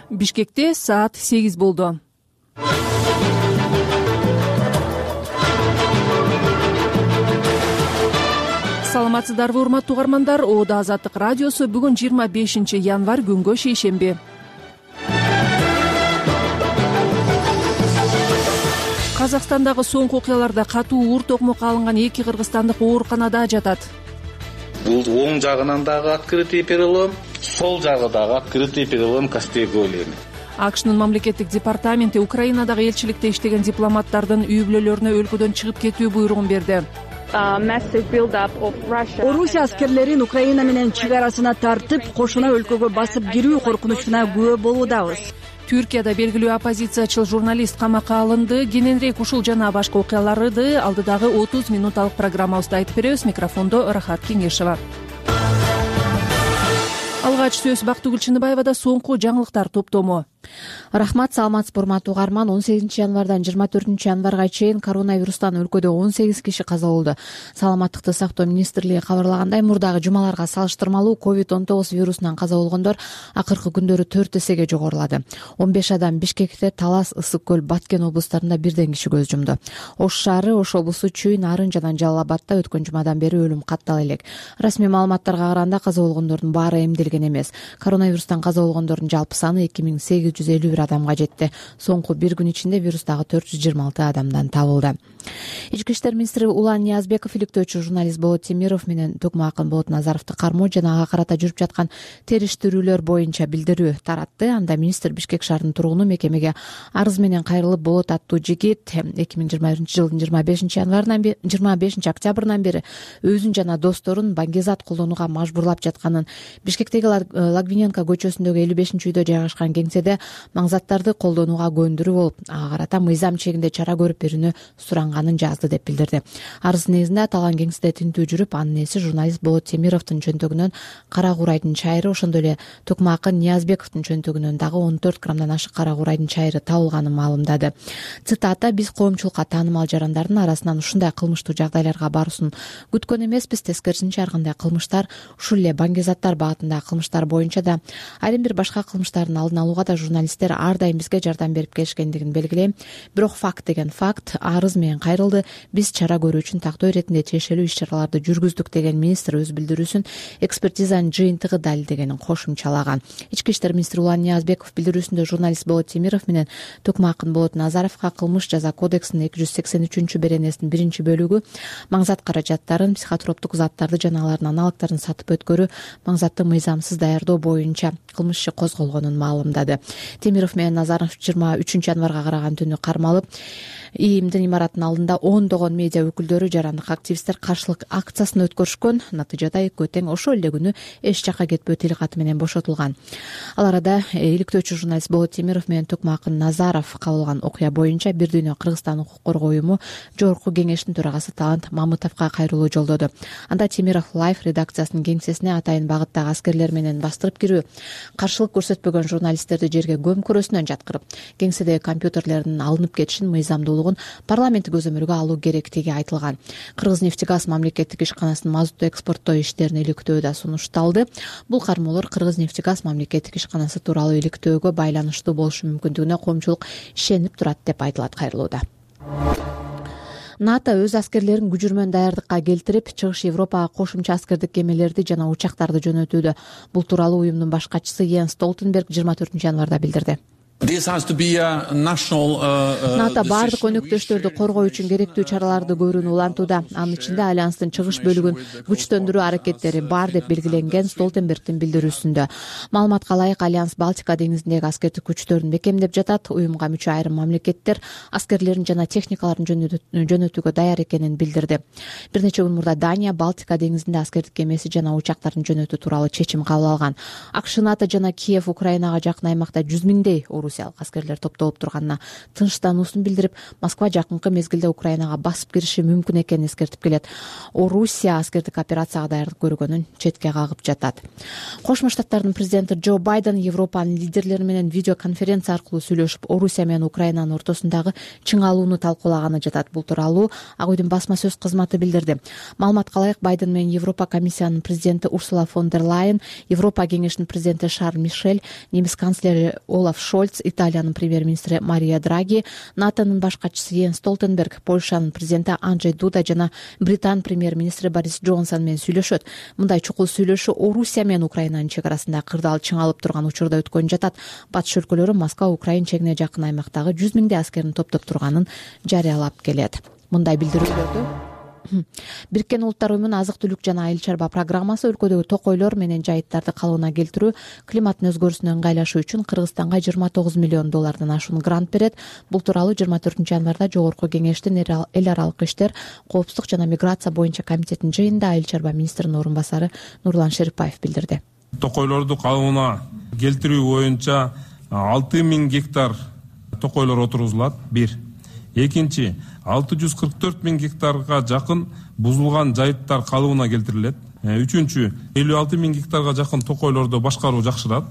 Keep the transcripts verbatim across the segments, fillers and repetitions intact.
Бишкекте саат сегиз болду. Саламатсыздарбы, урматтуу угармандар. Оода Азаттык радиосу бүгүн жыйырма бешинчи январь күнгө шейшемби. Казакстандагы соңку окуяларда катуу уур токмокко алынган эки кыргызстандык ооруканада жатат. Бул оң жагынан дагы открытый перелом, сол жагы дагы открытый перелом костей голени. АКШнын мамлекеттик департаменти Украинадагы элчиликте иштеген дипломаттардын үй бүлөлөрүнө өлкөдөн чыгып кетүү буйругун берди. Орусия аскерлерин Украина менен чек арасына тартып, кошуна өлкөгө басып кирүү коркунучуна күбө болуудабыз. Түркияда белгилүү оппозициячыл журналист камакка алынды. Кененирээк ушул жана башка окуяларды алдыдагы отуз минуталык программабызда айтып беребиз. Микрофондо Рахат Кеңешева. Алгач сөз Бактыгүл Чыныбаевада соңку жаңылыктар топтому. Рахмат, саламатсызбы урматтуу угарман. он сегизинчи январдан жыйырма төртүнчү январга чейин коронавирустан өлкөдө он сегиз киши каза болду. Саламаттыкты сактоо министрлиги кабарлагандай, мурдагы жумаларга салыштырмалуу ковид он тогуз вирусунан каза болгондор акыркы күндөрү төрт эсеге жогорулады. он беш адам Бишкекте, Талас, Ысык көл, Баткен облустарында бирден киши көз жумду. Ош шаары, Ош облусу, Чүй, Нарын жана Жалал Абадта өткөн жумадан бери өлүм каттала элек. Расмий маалыматтарга караганда каза болгондордун баары эмделген эмес. Коронавирустан каза болгондордун жалпы саны эки миң сегиз жүз элүү бир адамга жетти. Соңку бир күн ичинде вирустагы төрт жүз жыйырма алты адамдан табылды. Ички иштер министри Улан Ниязбеков иликтөөчү журналист Болот Темиров менен Токмо Акын Болот Назаровду кармоо жана ага карата жүрүп жаткан териштирүүлөр боюнча билдирүү таратты. Анда министр Бишкек шаарынын тургуну мекемеге арыз менен кайрылып, Болот аттуу жигит эки миң жыйырма биринчи жылдын жыйырма бешинчи январынан бери жыйырма бешинчи октябрынан бери өзүн жана досторун баңгезат колдонууга мажбурлап жатканын, Бишкектеги Лагвиненко көчөсүндөгү элүү бешинчи үйдө жайгашкан кеңседе маңзаттарды колдонууга көндүрүү болуп, ага карата мыйзам чегинде чара көрүп берүүнү суранганын жазды деп билдирди. Арыздын негизинде аталган кеңседе тинтүү жүрүп, анын ээси журналист Болот Темировдун чөнтөгүнөн кара курайдын чайры, ошондой эле Токмо Акын Ниязбековдун чөнтөгүнөн дагы он төрт граммдан ашык кара курайдын чайры табылганын маалымдады. Цитата: "Биз коомчулукка таанымал жарандардын арасынан ушундай кылмыштуу жагдайларга баруусун күткөн эмеспиз. Тескерисинче, ар кандай кылмыштар, ушул эле баңгезаттар багытындагы кылмыштар боюнча да, айрым бир башка кылмыштардын алдын алууга да журналисттер ар дайым бизге жардам берип келишкендигин белгилейм. Бирок факт деген факт, арыз менен кайрылды. Биз чара көрүү үчүн тактоо иретинде тиешелүү иш-чараларды жүргүздүк", деген министр өз билдирүүсүн экспертизанын жыйынтыгы далилдегенин кошумчалаган. Ички иштер министри Улан Ниязбеков билдирүүсүндө журналист Болот Темиров менен Токмо Акын Болот Назаровго кылмыш жаза кодексинин эки жүз сексен үчүнчү беренесинин биринчи бөлүгү маңзат каражаттарын, психотроптук заттарды жана алардын аналогдорун сатып өткөрүү, маңзатты мыйзамсыз даярдоо боюнча кылмыш иши козголгонун маалымдады. Темиров менен Назаров жыйырма үчүнчү январга караган түнү кармалып, ИИМдин имаратынын алдында ондогон медиа өкүлдөрү, жарандык активисттер каршылык акциясын өткөрүшкөн. Натыйжада экөө тең ошол эле күнү эч жакка кетпөө тил каты менен бошотулган. Ал арада иликтөөчү журналист Болот Темиров менен Токмо Акын Назаров кабылган окуя боюнча Бир дүйнө Кыргызстан укук коргоо уюму жогорку кеңештин төрагасы Талант Мамытовго кайрылуу жолдоду. Анда Темиров Лайф редакциясынын кеңсесине атайын багыттагы аскерлер менен бастырып кирүү, каршылык көрсөтпөгөн журналисттерди жерге көм көрөсүнөн жаткырып, кеңседеги компьютерлердин алынып кетишин, мыйзамдуулугун парламенттик көзөмөлгө алуу керектиги айтылган. Кыргызнефтегаз мамлекеттик ишканасынын мазутту экспорттоо иштерин иликтөө да сунушталды. Бул кармоолор Кыргызнефтегаз мамлекеттик ишканасы тууралуу иликтөөгө байланыштуу болушу мүмкүндүгүнө коомчулук ишенип турат деп айтылат кайрылууда. НАТО өз аскерлерин күжүрмөн даярдыкка келтирип, Чыгыш Европага кошумча аскердик кемелерди жана учактарды жөнөтүүдө. Бул тууралуу уюмдун башкачысы Йенс Столтенберг жыйырма төртүнчү январда билдирди. НАТО баардык өнөктөштөрдү коргоо үчүн керектүү чараларды көрүүнү улантууда. Анын ичинде альянстын чыгыш бөлүгүн күчтөндүрүү аракеттери бар деп белгиленген Столтенбергдин билдирүүсүндө. Маалыматка ылайык, альянс Балтика деңизиндеги аскердик күчтөрүн бекемдеп жатат. Уюмга мүчө айрым мамлекеттер аскерлерин жана техникаларын жөнөтүүгө даяр экенин билдирди. Бир нече күн мурда Дания Балтика деңизинде аскердик кемеси жана учактарын жөнөтүү тууралуу чечим кабыл алган. АКШ, НАТО жана Киев Украинага жакын аймакта жүз миңдей орусиялык аскерлер топтолуп турганына тынчтануусун билдирип, Москва жакынкы мезгилде Украинага басып кириши мүмкүн экенин эскертип келет. Орусия аскердик операцияга даярдык көргөнүн четке кагып жатат. Кошмо Штаттардын президенти Джо Байден Европанын лидерлери менен видеоконференция аркылуу сүйлөшүп, Орусия менен Украинанын ортосундагы чыңалууну талкуулаганы жатат. Бул тууралуу Ак үйдүн басма сөз кызматы билдирди. Маалыматка ылайык, Байден менен Европа комиссиянын президенти Урсула фон дер Лайен, Европа кеңешинин президенти Шарль Мишель, немис канцлери Олаф Шольц, Италиянын премьер-министри Мария Драги, НАТОнун баш катчысы Йенс Столтенберг, Польшанын президенти Анджей Дуда жана Британ премьер-министри Борис Джонсон менен сүйлөшөт. Мындай чукул сүйлөшүү Орусия менен Украинанын чек арасында кырдаал чыңалып турган учурда өткөн жатат. Батыш өлкөлөрү Москва Украин чегине жакын аймактагы жүз миңдей аскерин топтоп турганын жарыялап келет. Мындай билдирүүлөрдү Бириккен Улуттар Уюмунун азык-түлүк жана айыл чарба программасы өлкөдөгү токойлор менен жайыттарды калыбына келтирүү, климаттын өзгөрүүсүнө ыңгайлашуу үчүн Кыргызстанга жыйырма тогуз миллион доллардан ашуун грант берет. Бул тууралуу жыйырма төртүнчү январда Жогорку Кеңештин эл аралык иштер, коопсуздук жана миграция боюнча комитеттин жыйынында айыл чарба министринин орун басары Нурлан Шерипаев билдирди. Токойлорду калыбына келтирүү боюнча алты миң гектар токойлор отургузулат. Бир. Экинчи, алты жүз кырк төрт миң гектарга жакын бузулган жайыттар калыбына келтирилет. Үчүнчү, элүү алты миң гектарга жакын токойлорду башкаруу жакшырат.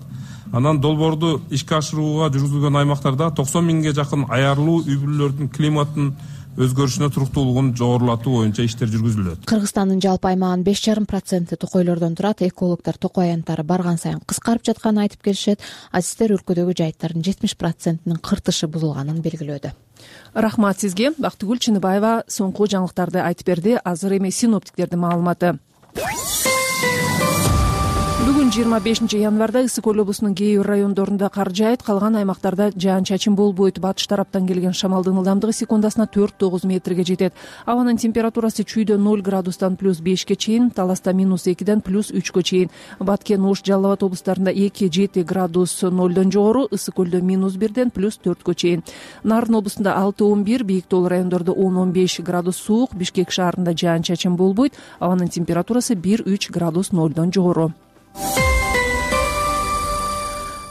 Анан долбоорду ишке ашырууга жүргүзүлгөн аймактарда токсон миңге жакын аярлуу үй бүлөлөрдүн климаттын өзгөрүшүнө туруктуулугун жогорулатуу боюнча иштер жүргүзүлөт. Кыргызстандын жалпы аймагынын беш жарым проценти токойлордон турат. Экологдор токой аянттары барган сайын кыскарып жатканын айтып келишет. Азиздер өлкөдөгү жайыттардын жетимиш процентинин кыртышы бузулганын белгилөөдө. Рахмат сизге. Бактыгүл Чыныбаева соңку жаңылыктарды айтып берди. Азыр эми синоптиктердин маалыматы. Бүгүн жыйырма бешинчи январда Ысык Көл облусунун кээ бир райондорунда кар жаайт, калган аймактарда жаан-чачын болбойт. Батыш тараптан келген шамалдын ылдамдыгы секундасына төрт тогуз метрге жетет. Абанын температурасы чүйдө ноль градустан плюс бешке чейин, Таласта минус экиден плюс үчкө чейин. Баткен, Ош, Жалал Абад облустарында эки жети градус нолдон жогору, Ысык Көлдө минус бирден плюс төрткө чейин. Нарын облусунда алты он бир, Бийик Тоол райондордо он он беш градус суук, Бишкек шаарында жаан-чачын болбойт. Абанын температурасы бир үч градус нолдон жогору.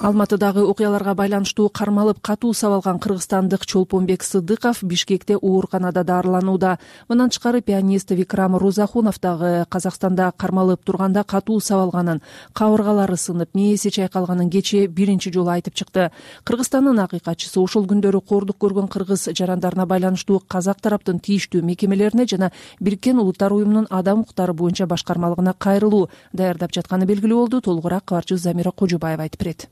Алматыдагы окуяларга байланыштуу кармалып катуу сабалган кыргызстандык Чолпонбек Сыдыков Бишкекте ооруканада дарыланууда. Мындан тышкары пианист Викрам Розахунов дагы Казакстанда кармалып турганда катуу сабалганын, кабыргалары сынып, мээси чайкалганын кечээ биринчи жолу айтып чыкты. Кыргызстандын акыйкатчысы ошол күндөрү кордук көргөн кыргыз жарандарына байланыштуу казак тараптын тийиштүү мекемелерине жана Бириккен Улуттар Уюмунун адам укуктары боюнча башкармалыгына кайрылуу даярдап жатканы белгилүү болду. Толугураак кабарчыбыз Замира Кожубаева айтып берет.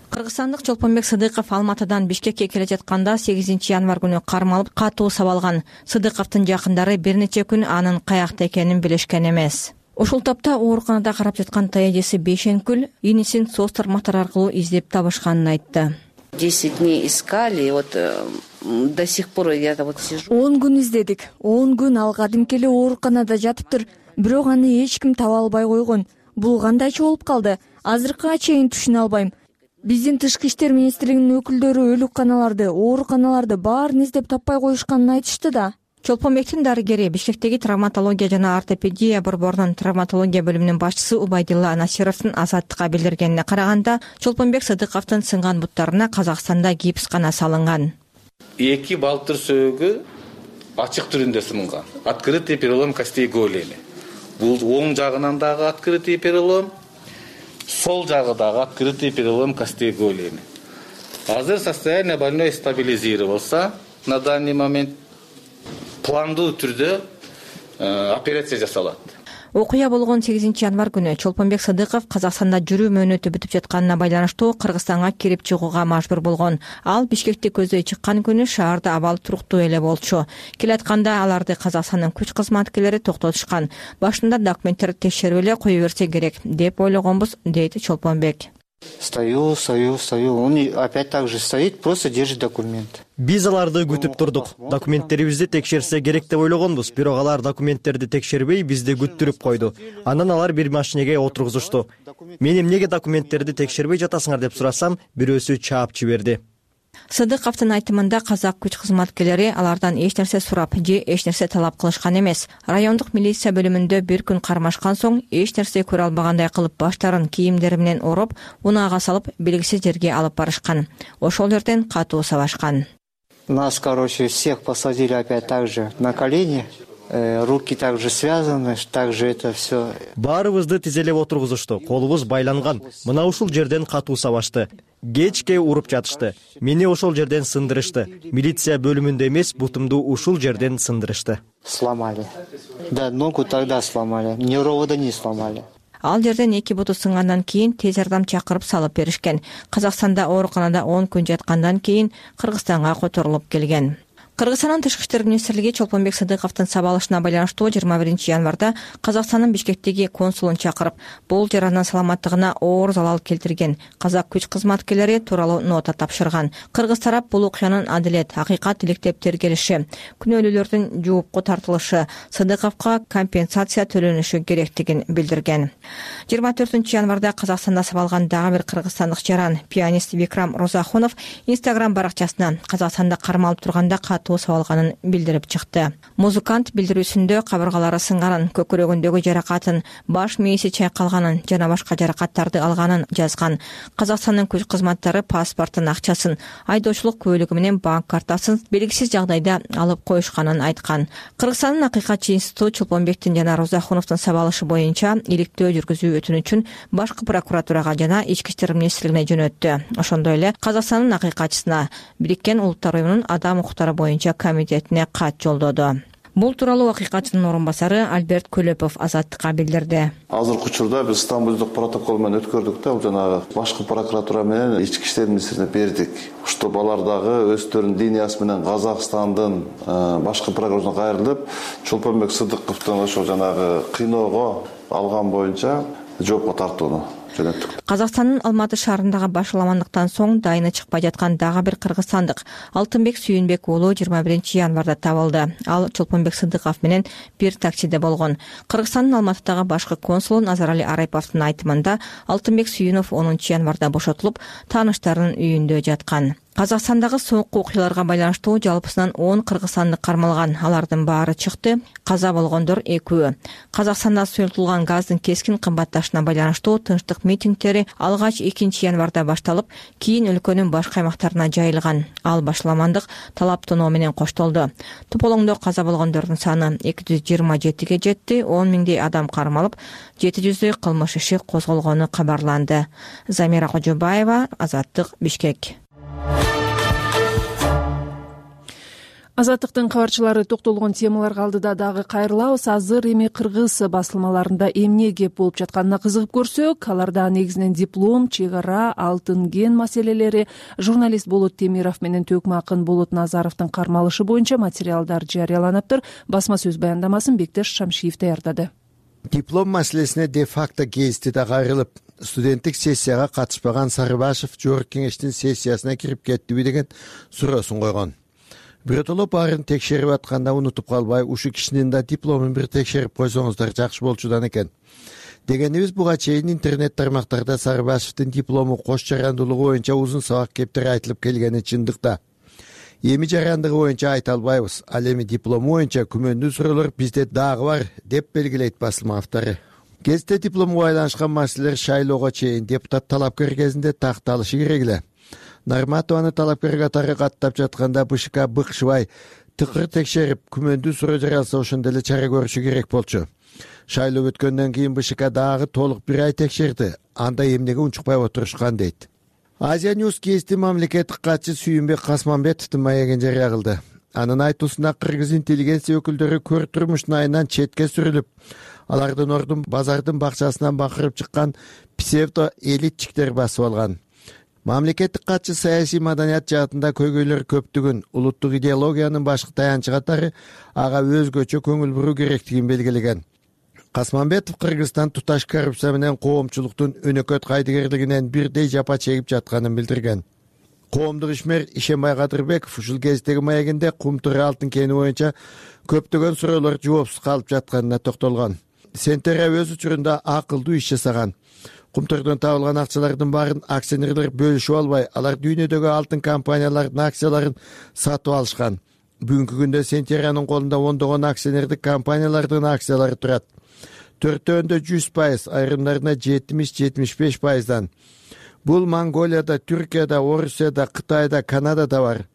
Кыргызстандык Чолпонбек Сыдыков Алматыдан Бишкекке келе жатканда сегизинчи январ күнү кармалып катуу сабалган. Сыдыковдун жакындары бир нече күн анын каякта экенин билишкен эмес. Ошол тапта ооруканада карап жаткан таежеси Бейшенкүл инисин соц тармактар аркылуу издеп табышканын айтты. десять дней искали, вот до сих пор я вот сижу. он күн издедик. он күн ал кадимки эле ооруканада жатыптыр. Бирок аны эч ким таба албай койгон. Бул кандайча болуп калды? Азыркыга чейин түшүнө албайм. Биздин тышкы иштер министрлигинин өкүлдөрү өлүкканаларды, ооруканаларды баарын издеп таппай коюшканын айтышты да. Чолпонбектин дарыгери Бишкектеги травматология жана ортопедия борборунун травматология бөлүмүнүн башчысы Убайдилла Насировдун Азаттыкка билдиргенине караганда, Чолпонбек Сыдыковдун сынган буттарына Казакстанда гипс гана салынган. Эки балтыр сөөгү ачык түрүндө сынган. Открытый перелом костей голени. Бул оң жагынан дагы открытый перелом, сол жагы дагы открытый перелом костей голени. Азыр состояние больной стабилизировался. На данный момент пландуу түрдө операция жасалат. Окуя болгон сегизинчи январ күнү Чолпонбек Сыдыков Казакстанда жүрүү мөөнөтү бүтүп жатканына байланыштуу Кыргызстанга кирип чыгууга мажбур болгон. Ал Бишкекти көздөй чыккан күнү шаарда абал туруктуу эле болчу. Келатканда аларды Казакстандын күч кызматкерлери токтотушкан. Башында документтерди текшерип эле кое берсе керек деп ойлогонбуз, дейт Чолпонбек. Стою, стою, стою. Он опять так же стоит, просто держит документ. Биз аларды күтүп турдук. Документтерибизди текшерсе керек деп ойлогонбуз, бирок алар документтерди текшербей бизди күттүрүп койду. Андан алар бир машинеге отургузушту. Мен эмнеге документтерди текшербей жатасыңар деп сурасам, бирөөсү чаап жиберди. Сыдыковдун айтымында казак күч кызматкерлери алардан эч нерсе сурап же эч нерсе талап кылышкан эмес. Райондук милиция бөлүмүндө бир күн кармашкан соң эч нерсе көрө албагандай кылып баштарын кийимдери менен ороп, унаага салып белгисиз жерге алып барышкан. Ошол жерден катуу сабашкан. Нас, короче, всех посадили опять так же на колени. Руки также связаны, также это все. Баарыбызды тизелеп отургузушту, колубуз байланган. Мына ушул жерден катуу сабашты. Кечке уруп жатышты. Мени ошол жерден сындырышты. Милиция бөлүмүндө эмес, бутумду ушул жерден сындырышты. Сломали. Да, ногу тогда сломали. Невровода не сломали. Ал жерден эки буту сынгандан кийин тез жардам чакырып салып беришкен. Казакстанда ооруканада он күн жаткандан кийин Кыргызстанга которулуп келген. Кыргызстандын тышкы иштер министрлиги Чолпонбек Сыдыковдун сабалышына байланыштуу жыйырма биринчи январда Казакстандын Бишкектеги консулун чакырып, бул жаранын саламаттыгына оор залал келтирген казак күч кызматкерлери тууралуу нота тапшырган. Кыргыз тарап бул окуянын адилет, акыйкат иликтеп тергелиши, күнөөлүүлөрдүн жоопко тартылышы, Сыдыковго компенсация төлөнүшү керектигин билдирген. жыйырма төртүнчү январда Казакстанда сабалган дагы бир кыргызстандык жаран, пианист Викрам Розахунов Instagram баракчасына Казакстанда кармалып турганда сабалганын билдирип чыкты. Музыкант билдирүүсүндө кабыргалары сынганын, көкүрөгүндөгү жаракатын, баш мээси чайкалганын жана башка жаракаттарды алганын жазган. Казакстандын күч кызматтары паспортун, акчасын, айдоочулук куәлиги менен банк картасын белгисиз жагдайда алып коюшканын айткан. Кыргызстандын акыйкатчы институту Чолпонбектин жана Розахуновдун сабалышы боюнча иликтөө жүргүзүү өтүнүчүн башкы прокуратурага жана ички иштер министрлигине жөнөттү. Ошондой эле Казакстандын акыйкатчысына Бириккен Улуттар уюмунун адам укуктары боюнча комитетине кат жолдоду. Бул тууралуу акыйкатчынын орун басары Альберт Көлөпов Азаттыкка билдирди. Азыркы учурда биз Стамбулдук протокол менен өткөрдүк да, бул жанагы башкы прокуратура менен ички иштер министрлигине бердик. Ушул балар дагы өздөрүнүн линиясы менен Казакстандын башкы прокуратурасына кайрылып, Чолпонбек Сыдыковдун ошол жанагы кыйноого алган боюнча жоопко тартууну жөнөттүк. Казакстандын Алматы шаарындагы башаламандыктан соң дайыны чыкпай жаткан дагы бир кыргызстандык Алтынбек Сүйүнбек уулу жыйырма биринчи январда табылды. Ал Чолпонбек Сыдыков менен бир таксиде болгон. Кыргызстандын Алматыдагы башкы консулу Назарали Арайповдун айтымында Алтынбек Сүйүнов онунчу январда бошотулуп, тааныштарынын үйүндө жаткан. Казакстандагы соңку окуяларга байланыштуу жалпысынан он кыргызстандык кармалган. Алардын баары чыкты. Каза болгондор экөө. Казакстанда сұйылтылган газдын кескин кымбатташына байланыштуу тынчтык митингдери алгач экинчи январда башталып, кийин өлкөнүн башка аймактарына жайылган. Ал башаламандык талап тоноо менен коштолду. Тополоңдо каза болгондордун саны эки жүз жыйырма жетиге жетти. он миңдей адам кармалып, жети жүздөй кылмыш иши козголгону кабарланды. Замира Кожобаева, Азаттык, Бишкек. Азаттыктын кабарчылары токтолгон темаларга алдыда дагы кайрылабыз. Азыр эми кыргыз басылмаларында эмне кеп болуп жатканына кызыгып көрсөк, аларда негизинен диплом, чек ара, алтын ген маселелери, журналист Болот Темиров менен Төкмө акын Болот Назаровдун кармалышы боюнча материалдар жарыяланыптыр. Басма сөз баяндамасын Бектеш Шамшиев даярдады. Диплом маселесине де-факто кести да кайрылып, студенттик сессияга катышпаган Сарыбашев Жогорку кеңештин сессиясына кирип кеттиби деген суроосун койгон. Биротоло баарын текшерип атканда унутуп калбай, ушу кишинин да дипломун бир текшерип койсоңуздар жакшы болчудан экен. Дегенибиз буга чейин интернет тармактарда Сарыбашевдин диплому кош жарандуулугу боюнча узун сабак кептери айтылып келгени чындык да. Эми жарандыгы боюнча айта албайбыз. Ал эми диплому боюнча күмөндүү суроолор бизде дагы бар, деп белгилейт басылма автору. Кезде диплому байланышкан маселелер шайлоого чейин депутат талапкер кезинде такталышы керек эле. Нарматованы талапкер катары каттап жатканда БШК быкшыбай тыкыр текшерип, күмөндүү суроо жаралса ошондо эле чара көрүшү керек болчу. Шайлоо өткөндөн кийин БШК дагы толук бир ай текшерди. Анда эмнеге унчукпай отурушкан дейт. Азия Ньюс кести мамлекеттик катчы Сүйүнбек Касманбетовдун маегин жарыя кылды. Анын айтуусунда кыргыз интеллигенция өкүлдөрү көр турмуштун айынан четке сүрүлүп, алардын ордун базардын бакчасынан бакырып чыккан псевдо элитчиктер басып алган. Мамлекеттик катчы саясий маданият жаатында көйгөйлөр көптүгүн, улуттук идеологиянын башкы таянчы катары ага өзгөчө көңүл буруу керектигин белгилеген. Касманбетов Кыргызстан туташ коррупция менен коомчулуктун өнөкөт кайдыгерлигинен бирдей жапа чегип жатканын билдирген. Коомдук ишмер Ишенбай Кадырбеков ушул кездеги маегинде Кумтуру алтын кени боюнча көптөгөн суроолор жоопсуз калып жатканына токтолгон. Сентера өз учурунда акылдуу иш жасаган. Кумтөрдөн табылган акчалардын баарын акционерлер бөлүшүп албай, алар дүйнөдөгү алтын компаниялардын акцияларын сатып алышкан. Бүгүнкү күндө Сентериянын колунда ондогон акционердик компаниялардын акциялары турат. Төртөөндө жүз пайыз, айрымдарына жетимиш жетимиш беш пайыздан. Бул Монголияда, Түркияда, Орусияда, Кытайда, Канадада бар.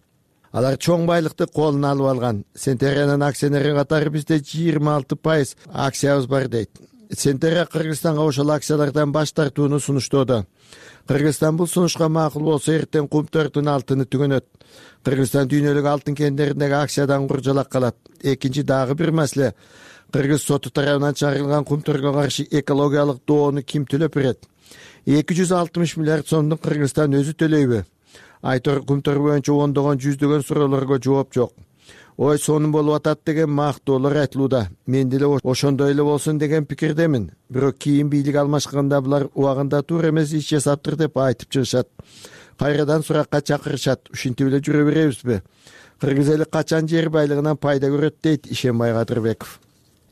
Алар чоң байлыкты колуна алып алган. Сентериянын акционери катары бизде жыйырма алты пайыз акциябыз бар дейт. Сентерия Кыргызстанга ошол акциялардан баш тартууну сунуштоодо. Кыргызстан бул сунушка макул болсо эртең Кумтөрдүн алтыны түгөнөт. Кыргызстан дүйнөлүк алтын кендериндеги акциядан куржалак калат. Экинчи дагы бир маселе. Кыргыз соту тарабынан чыгарылган Кумтөргө каршы экологиялык доону ким төлөп берет? эки жүз алтымыш миллиард сомдун Кыргызстан өзү төлөйбү? Айтор Кумтөр боюнча ондогон жүздөгөн суроолорго жооп жок. Ой, сонун болуп атат деген мактоолор айтылууда. Мен деле ошондой эле болсун деген пикирдемин. Бирок кийин бийлик алмашканда булар убагында туура эмес иш жасаптыр деп айтып чыгышат. Кайрадан суракка чакырышат. Ушинтип эле жүрө беребизби? Кыргыз эли качан жер байлыгынан пайда көрөт дейт Ишенбай Кадырбеков.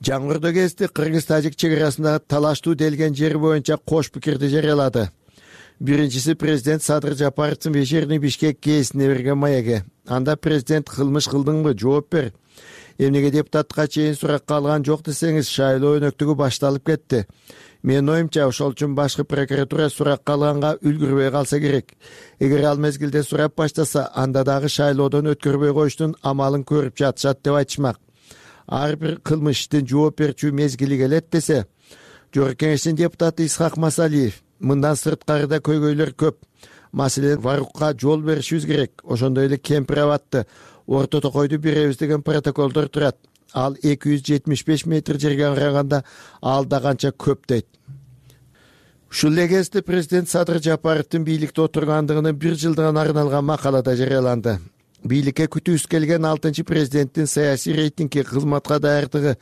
Жаңгырдоо гезити Кыргыз-Тажик чек арасындагы талаштуу делген жер боюнча кош пикирди жарыялады. Биринчиси президент Садыр Жапаровдун вечерний Бишкек гезитине берген маеги. Анда президент кылмыш кылдыңбы, жооп бер. Эмнеге депутатка чейин суракка алган жок десеңиз, шайлоо өнөктүгү башталып кетти. Менин оюмча, ошол үчүн башкы прокуратура суракка алганга үлгүрбөй калса керек. Эгер ал мезгилде сурап баштаса, анда дагы шайлоодон өткөрбөй коюштун амалын көрүп жатышат деп айтышмак. Ар бир кылмыш иштин жооп берчү мезгили келет десе, Жогорку Кеңештин депутаты Исхак Масалиев, мындан сырткары да көйгөйлөр көп. Маселен, варукка жол беришибиз керек. Ошондой эле кемпир абатты, орто токойду беребиз деген протоколдор турат. Ал эки жүз жетимиш беш метр жерге караганда ал да канча көп дейт. Ушул эле кезде президент Садыр Жапаровдун бийликте отургандыгынын бир жылдыгына арналган макалада жарыяланды. Бийликке күтүүсүз келген алтынчы президенттин саясий рейтингге, кызматка даярдыгы,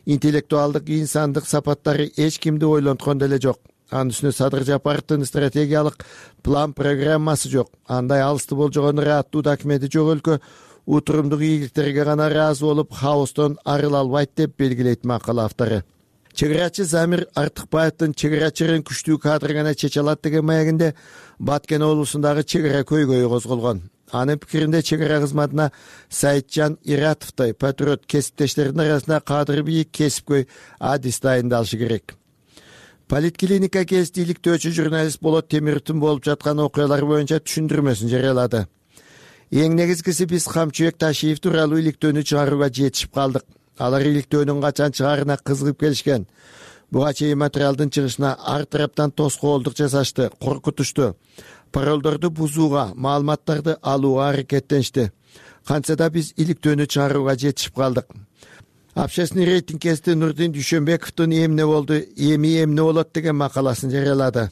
интеллектуалдык, инсандык сапаттары эч кимди ойлонткон деле жок. Анын үстүнө Садыр Жапаровдун стратегиялык план программасы жок. Андай алысты болжогон ырааттуу документи жок өлкө утурумдук ийгиликтерге гана ыраазы болуп, хаостон арыла албайт деп белгилейт макала автору. Чегерачы Замир Артыкбаевдин чегерачырын күчтүү кадр гана чече алат деген маегинде Баткен облусундагы чегара көйгөйү козголгон. Анын пикиринде чегара кызматына Саитжан Иратовдой патриот кесиптештердин арасында кадыры бийик кесипкөй адис дайындалышы керек. Политклиника гезити иликтөөчү журналист Болот Темировдун болуп жаткан окуялар боюнча түшүндүрмөсүн жарыялады. Эң негизгиси биз Камчыбек Ташиев тууралуу иликтөөнү чыгарууга жетишип калдык. Алар иликтөөнүн качан чыгаарына кызыгып келишкен. Буга чейин материалдын чыгышына ар тараптан тоскоолдук жасашты, коркутушту. Паролдорду бузууга, маалыматтарды алууга аракеттеништи. Кантса да биз иликтөөнү чыгарууга жетишип калдык. Общественный рейтинг гезити Нурдин Дүйшөнбековдун эмне болду, эми эмне болот деген макаласын жарыялады.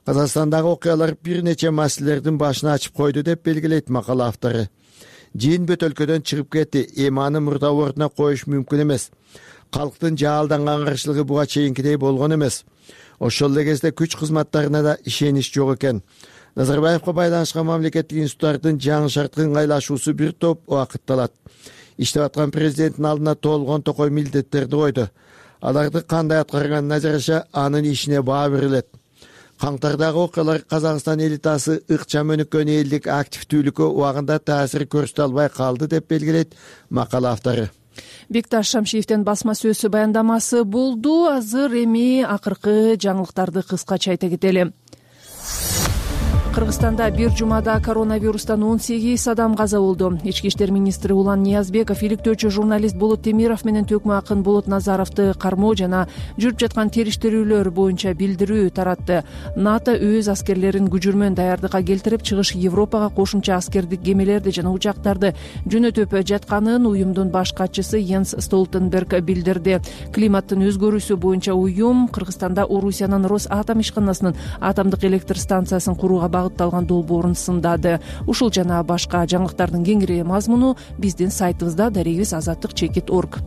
Казакстандагы окуялар бир нече маселелердин башын ачып койду деп белгилейт макала автору. Жыйын бөтөлкөдөн чыгып кетти, эми аны мурда ордуна коюш мүмкүн эмес. Калктын жаалданган каршылыгы буга чейинкидей болгон эмес. Ошол эле кезде күч кызматтарына да ишенич жок экен. Назарбаевга байланышкан мамлекеттик институттардын жаңы шартка ыңгайлашуусу бир топ убакытты алат. Иштеп аткан президенттин алдына толгон токой милдеттерди койду. Аларды кандай аткарганына жараша анын ишине баа берилет. Каңтардагы окуялар Казакстан элитасы ыкчам өнүккөн элдик активдүүлүккө убагында таасир көрсөтө албай калды деп белгилейт макала автору. Бекташ Шамшиевдин басма сөзү баяндамасы болду. Азыр эми акыркы жаңылыктарды кыскача айта кетели. Кыргызстанда бир жумада коронавирустан он сегиз адам каза болду. Ички иштер министри Улан Ниязбеков иликтөөчү журналист Болот Темиров менен төкмө акын Болот Назаровду кармоо жана жүрүп жаткан териштирүүлөр боюнча билдирүү таратты. НАТО өз аскерлерин күжүрмөн даярдыкка келтирип, чыгыш Европага кошумча аскердик кемелерди жана учактарды жөнөтүп жатканын уюмдун баш катчысы Йенс Столтенберг билдирди. Климаттын өзгөрүүсү боюнча уюм Кыргызстанда Орусиянын Росатом ишканасынын атомдук электр станциясын курууга багытталган долбоорун сындады. Ушул жана башка жаңылыктардын кеңири мазмуну биздин сайтыбызда дарегибиз азаттык чекит орг.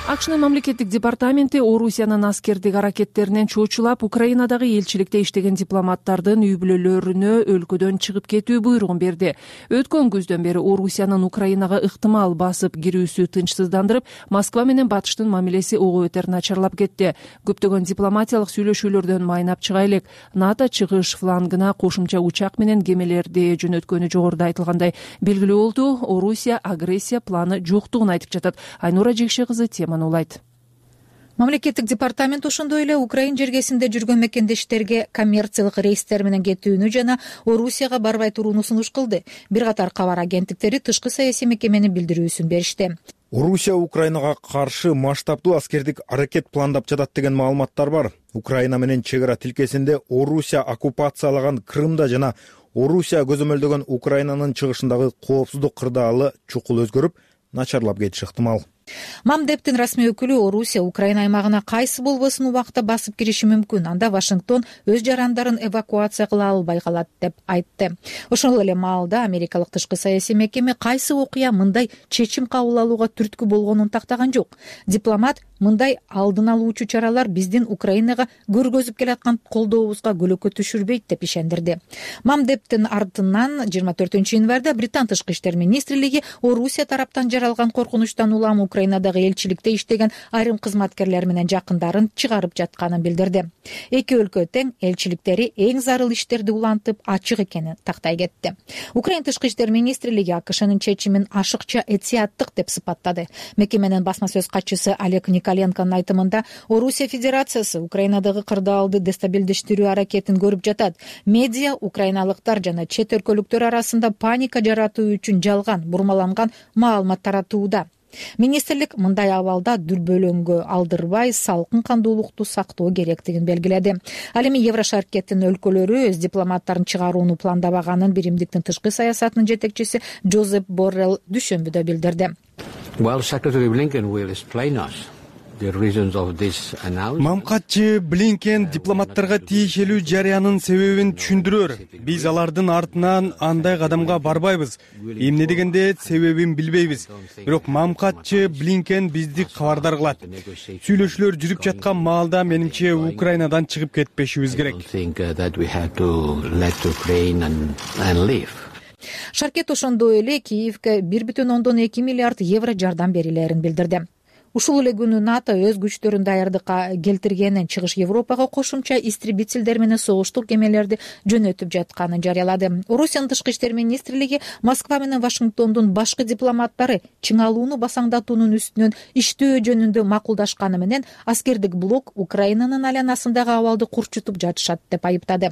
акшнын мамлекеттик департаменти Орусиянын аскердик аракеттеринен чочулап, Украинадагы элчиликте иштеген дипломаттардын үй бүлөлөрүнө өлкөдөн чыгып кетүү буйругун берди. Өткөн күздөн бери Орусиянын Украинага ыктымал басып кирүүсү тынчсыздандырып, Москва менен Батыштын мамилеси ого бетер начарлап кетти. Көптөгөн дипломатиялык сүйлөшүүлөрдөн майнап чыга элек. НАТО чыгыш флангына кошумча учак менен кемелерди жөнөткөнү жогоруда айтылгандай белгилүү болду. Орусия агрессия планы жоктугун айтып жатат. Айнура Жекше кызы теманы улайт. Мамлекеттик департамент ошондой эле Украин жергесинде жүргөн мекендештерге коммерциялык рейстер менен кетүүнү жана Орусияга барбай турууну сунуш кылды. Бир катар кабар агенттиктери тышкы саясий мекеменин билдирүүсүн беришти. Орусия Украинага каршы масштабдуу аскердик аракет пландап жатат деген маалыматтар бар. Украина менен чек ара тилкесинде Орусия оккупациялаган Крымда жана Орусия көзөмөлдөгөн Украинанын чыгышындагы коопсуздук кырдаалы чукул өзгөрүп, начарлап кетиши ыктымал. Мамдептин расмий өкүлү Орусия Украина аймагына кайсы болбосун убакта басып кириши мүмкүн. Анда Вашингтон өз жарандарын эвакуация кыла албай калат деп айтты. Ошол эле маалда америкалык тышкы саясий мекеме кайсы окуя мындай чечим кабыл алууга түрткү болгонун тактаган жок. Дипломат мындай алдын алуучу чаралар биздин Украинага көргөзүп келаткан колдообузга көлөкө түшүрбөйт деп ишендирди. Мамдептин артынан жыйырма төртүнчү январда Британ тышкы иштер министрлиги Орусия тараптан жаралган коркунучтан улам Украинадагы элчиликте иштеген айрым кызматкерлер менен жакындарын чыгарып жатканын билдирди. Эки өлкө тең элчиликтери эң зарыл иштерди улантып ачык экенин тактай кетти. Украин тышкы иштер министрлиги АКШнын чечимин ашыкча этияттык деп сыпаттады. Мекеменин басма сөз катчысы Олег Николенконун айтымында Орусия Федерациясы Украинадагы кырдаалды дестабилдештирүү аракетин көрүп жатат. Медиа украиналыктар жана чет өлкөлүктөр арасында паника жаратуу үчүн жалган, бурмаланган маалымат таратууда. Министрлик мындай абалда дүрбөлөңгө алдырбай салкын кандуулукту сактоо керектигин белгиледи. Ал эми Еврошаркеттин өлкөлөрү өз дипломаттарын чыгарууну пландабаганын Биримдиктин тышкы саясатынын жетекчиси Жозеп Боррелл дүйшөмбүдө билдирди. Well, Secretary Blinken will explain us the reasons of this announcement. Мамкатчы Блинкен дипломаттарга тиешелүү жарыянын себебин түшүндүрөр. Биз алардын артынан андай кадамга барбайбыз. Эмне дегенде себебин билбейбиз. Бирок Мамкатчы Блинкен бизди кабардар кылат. Сүйлөшүүлөр жүрүп жаткан маалда менимче Украинадан чыгып кетпешибиз керек. Шаркет ошондой эле Киевке бир бүтүн ондон эки миллиард евро жардам берилерин билдирди. Ушул эле күнү НАТО өз күчтөрүн даярдыкка келтиргенин, Чыгыш Европага кошумча истребительдер менен согуштук кемелерди жөнөтүп жатканын жарыялады. Орусиянын тышкы иштер министрлиги Москва менен Вашингтондун башкы дипломаттары чыңалууну басаңдатуунун үстүнөн иштөө жөнүндө макулдашканы менен аскердик блок Украинанын айланасындагы абалды курчутуп жатышат деп айыптады.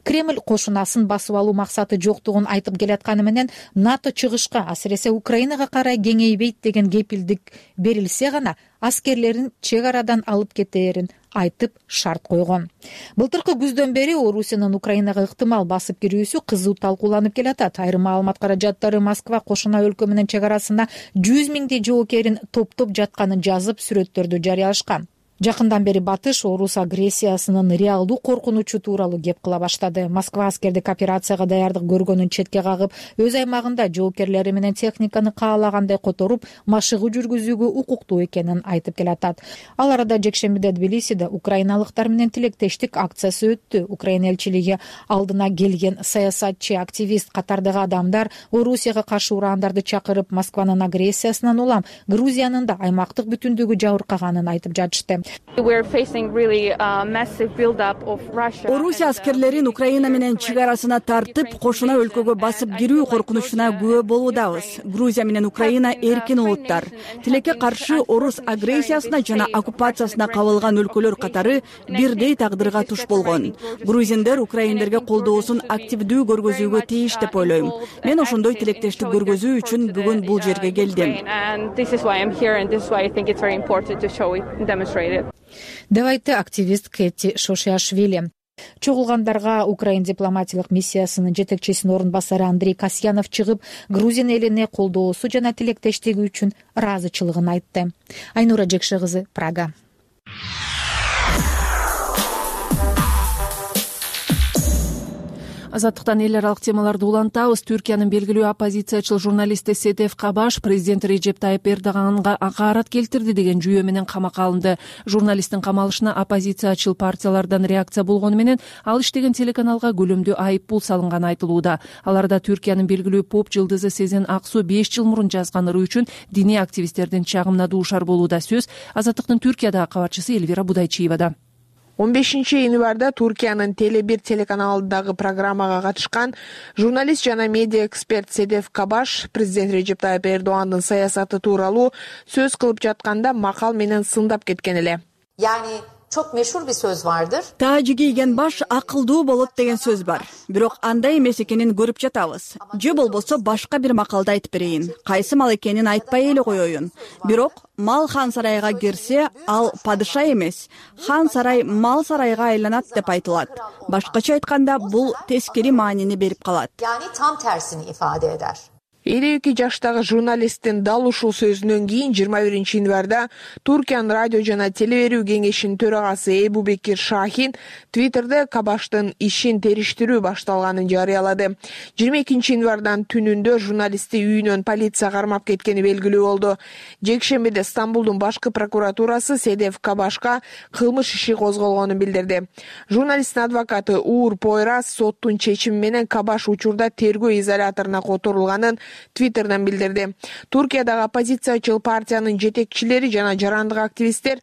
Кремль кошунасын басып алуу максаты жоктугун айтып келатканы менен НАТО чыгышка, асыресе Украинага карай кеңейбейт деген кепилдик берилсе гана аскерлерин чек арадан алып кетээрин айтып шарт койгон. Былтыркы күздөн бери Орусиянын Украинага ыктымал басып кирүүсү кызуу талкууланып келатат. Айрым маалымат каражаттары Москва кошуна өлкө менен чек арасында жүз миңдей жоокерин топтоп жатканын жазып, сүрөттөрдү жарыялашкан. Жакындан бери Батыш орус агрессиясынын реалдуу коркунучу тууралуу кеп кыла баштады. Москва аскердик операцияга даярдык көргөнүн четке кагып, өз аймагында жоокерлери менен техниканы каалагандай которуп, машыгуу жүргүзүүгө укуктуу экенин айтып келатат. Ал арада жекшембиде Тбилисиде украиналыктар менен тилектештик акциясы өттү. Украина элчилиги алдына келген саясатчы, активист катардагы адамдар Орусияга каршы урандарды чакырып, Москванын агрессиясынан улам Грузиянын да аймактык бүтүндүгү жабыркаганын айтып жатышты. Орусия аскерлерин Украина менен чек арасына тартып, кошуна өлкөгө басып кирүү коркунучуна күбө болуудабыз. Грузия менен Украина эркин улуттар. Тилекке каршы орус агрессиясына жана оккупациясына кабылган өлкөлөр катары бирдей тагдырга туш болгон. Грузиндер украиндерге колдоосун активдүү көргөзүүгө тийиш деп ойлойм. Мен ошондой тилектештик көргөзүү үчүн бүгүн бул жерге келдим. деп айтты активист Кэти Шошиашвили. Чогулгандарга Украин дипломатиялык миссиясынын жетекчисинин орун басары Андрей Касьянов чыгып, Грузин элине колдоосу жана тилектештиги үчүн ыраазычылыгын айтты. Айнура Жекше кызы, Прага. Азаттыктан эл аралык темаларды улантабыз. Түркиянын белгилүү оппозициячыл журналисти Седеф Кабаш президент Режеп Тайып Эрдоганга акаарат келтирди деген жүйө менен камакка алынды. Журналисттин камалышына оппозициячыл партиялардан реакция болгону менен ал иштеген телеканалга көлөмдүү айып пул салынганы айтылууда. Аларда Түркиянын белгилүү поп жылдызы Сезен Аксу беш жыл мурун жазган ыры үчүн диний активисттердин чагымына дуушар болууда. Сөз Азаттыктын Түркиядагы кабарчысы Элвира Будайчиевада. он бешинчи январда Туркиянын Теле бир телеканалындагы программага катышкан журналист жана медиа эксперт Седеф Кабаш президент Режеп Тайып Эрдогандын саясаты тууралуу сөз кылып жатканда макал менен сындап кеткен эле. Çok meşhur bir söz vardır. Taajı kiygen baş akılдуу болот деген сөз бар. Бирок андай эмес экенин көрүп жатабыз. Же болбосо башка бир макалда айтып берейин. Кайсы мал экенин айтпай эле коеюн. Бирок мал хан сарайга кирсе, ал падыша эмес. Хан сарай мал сарайга айланат деп айтылат. Башкача айтканда бул тескери маанини берип калат. Yani tam tersini ifade eder. элүү эки жаштагы журналисттин дал ушул сөзүнөн кийин жыйырма биринчи январда Туркиянын радио жана телеберүү кеңешинин төрагасы Эбубекир Шахин Твиттерде Кабаштын ишин териштирүү башталганын жарыялады. жыйырма экинчи январдан түнүндө журналистти үйүнөн полиция кармап кеткени белгилүү болду. Жекшембиде Стамбулдун башкы прокуратурасы Седеф Кабашка кылмыш иши козголгонун билдирди. Журналисттин адвокаты Уур Пойрас соттун чечими менен Кабаш учурда тергөө изоляторуна которулганын Твиттерден билдирди. Туркиядагы оппозициячыл партиянын жетекчилери жана жарандык активисттер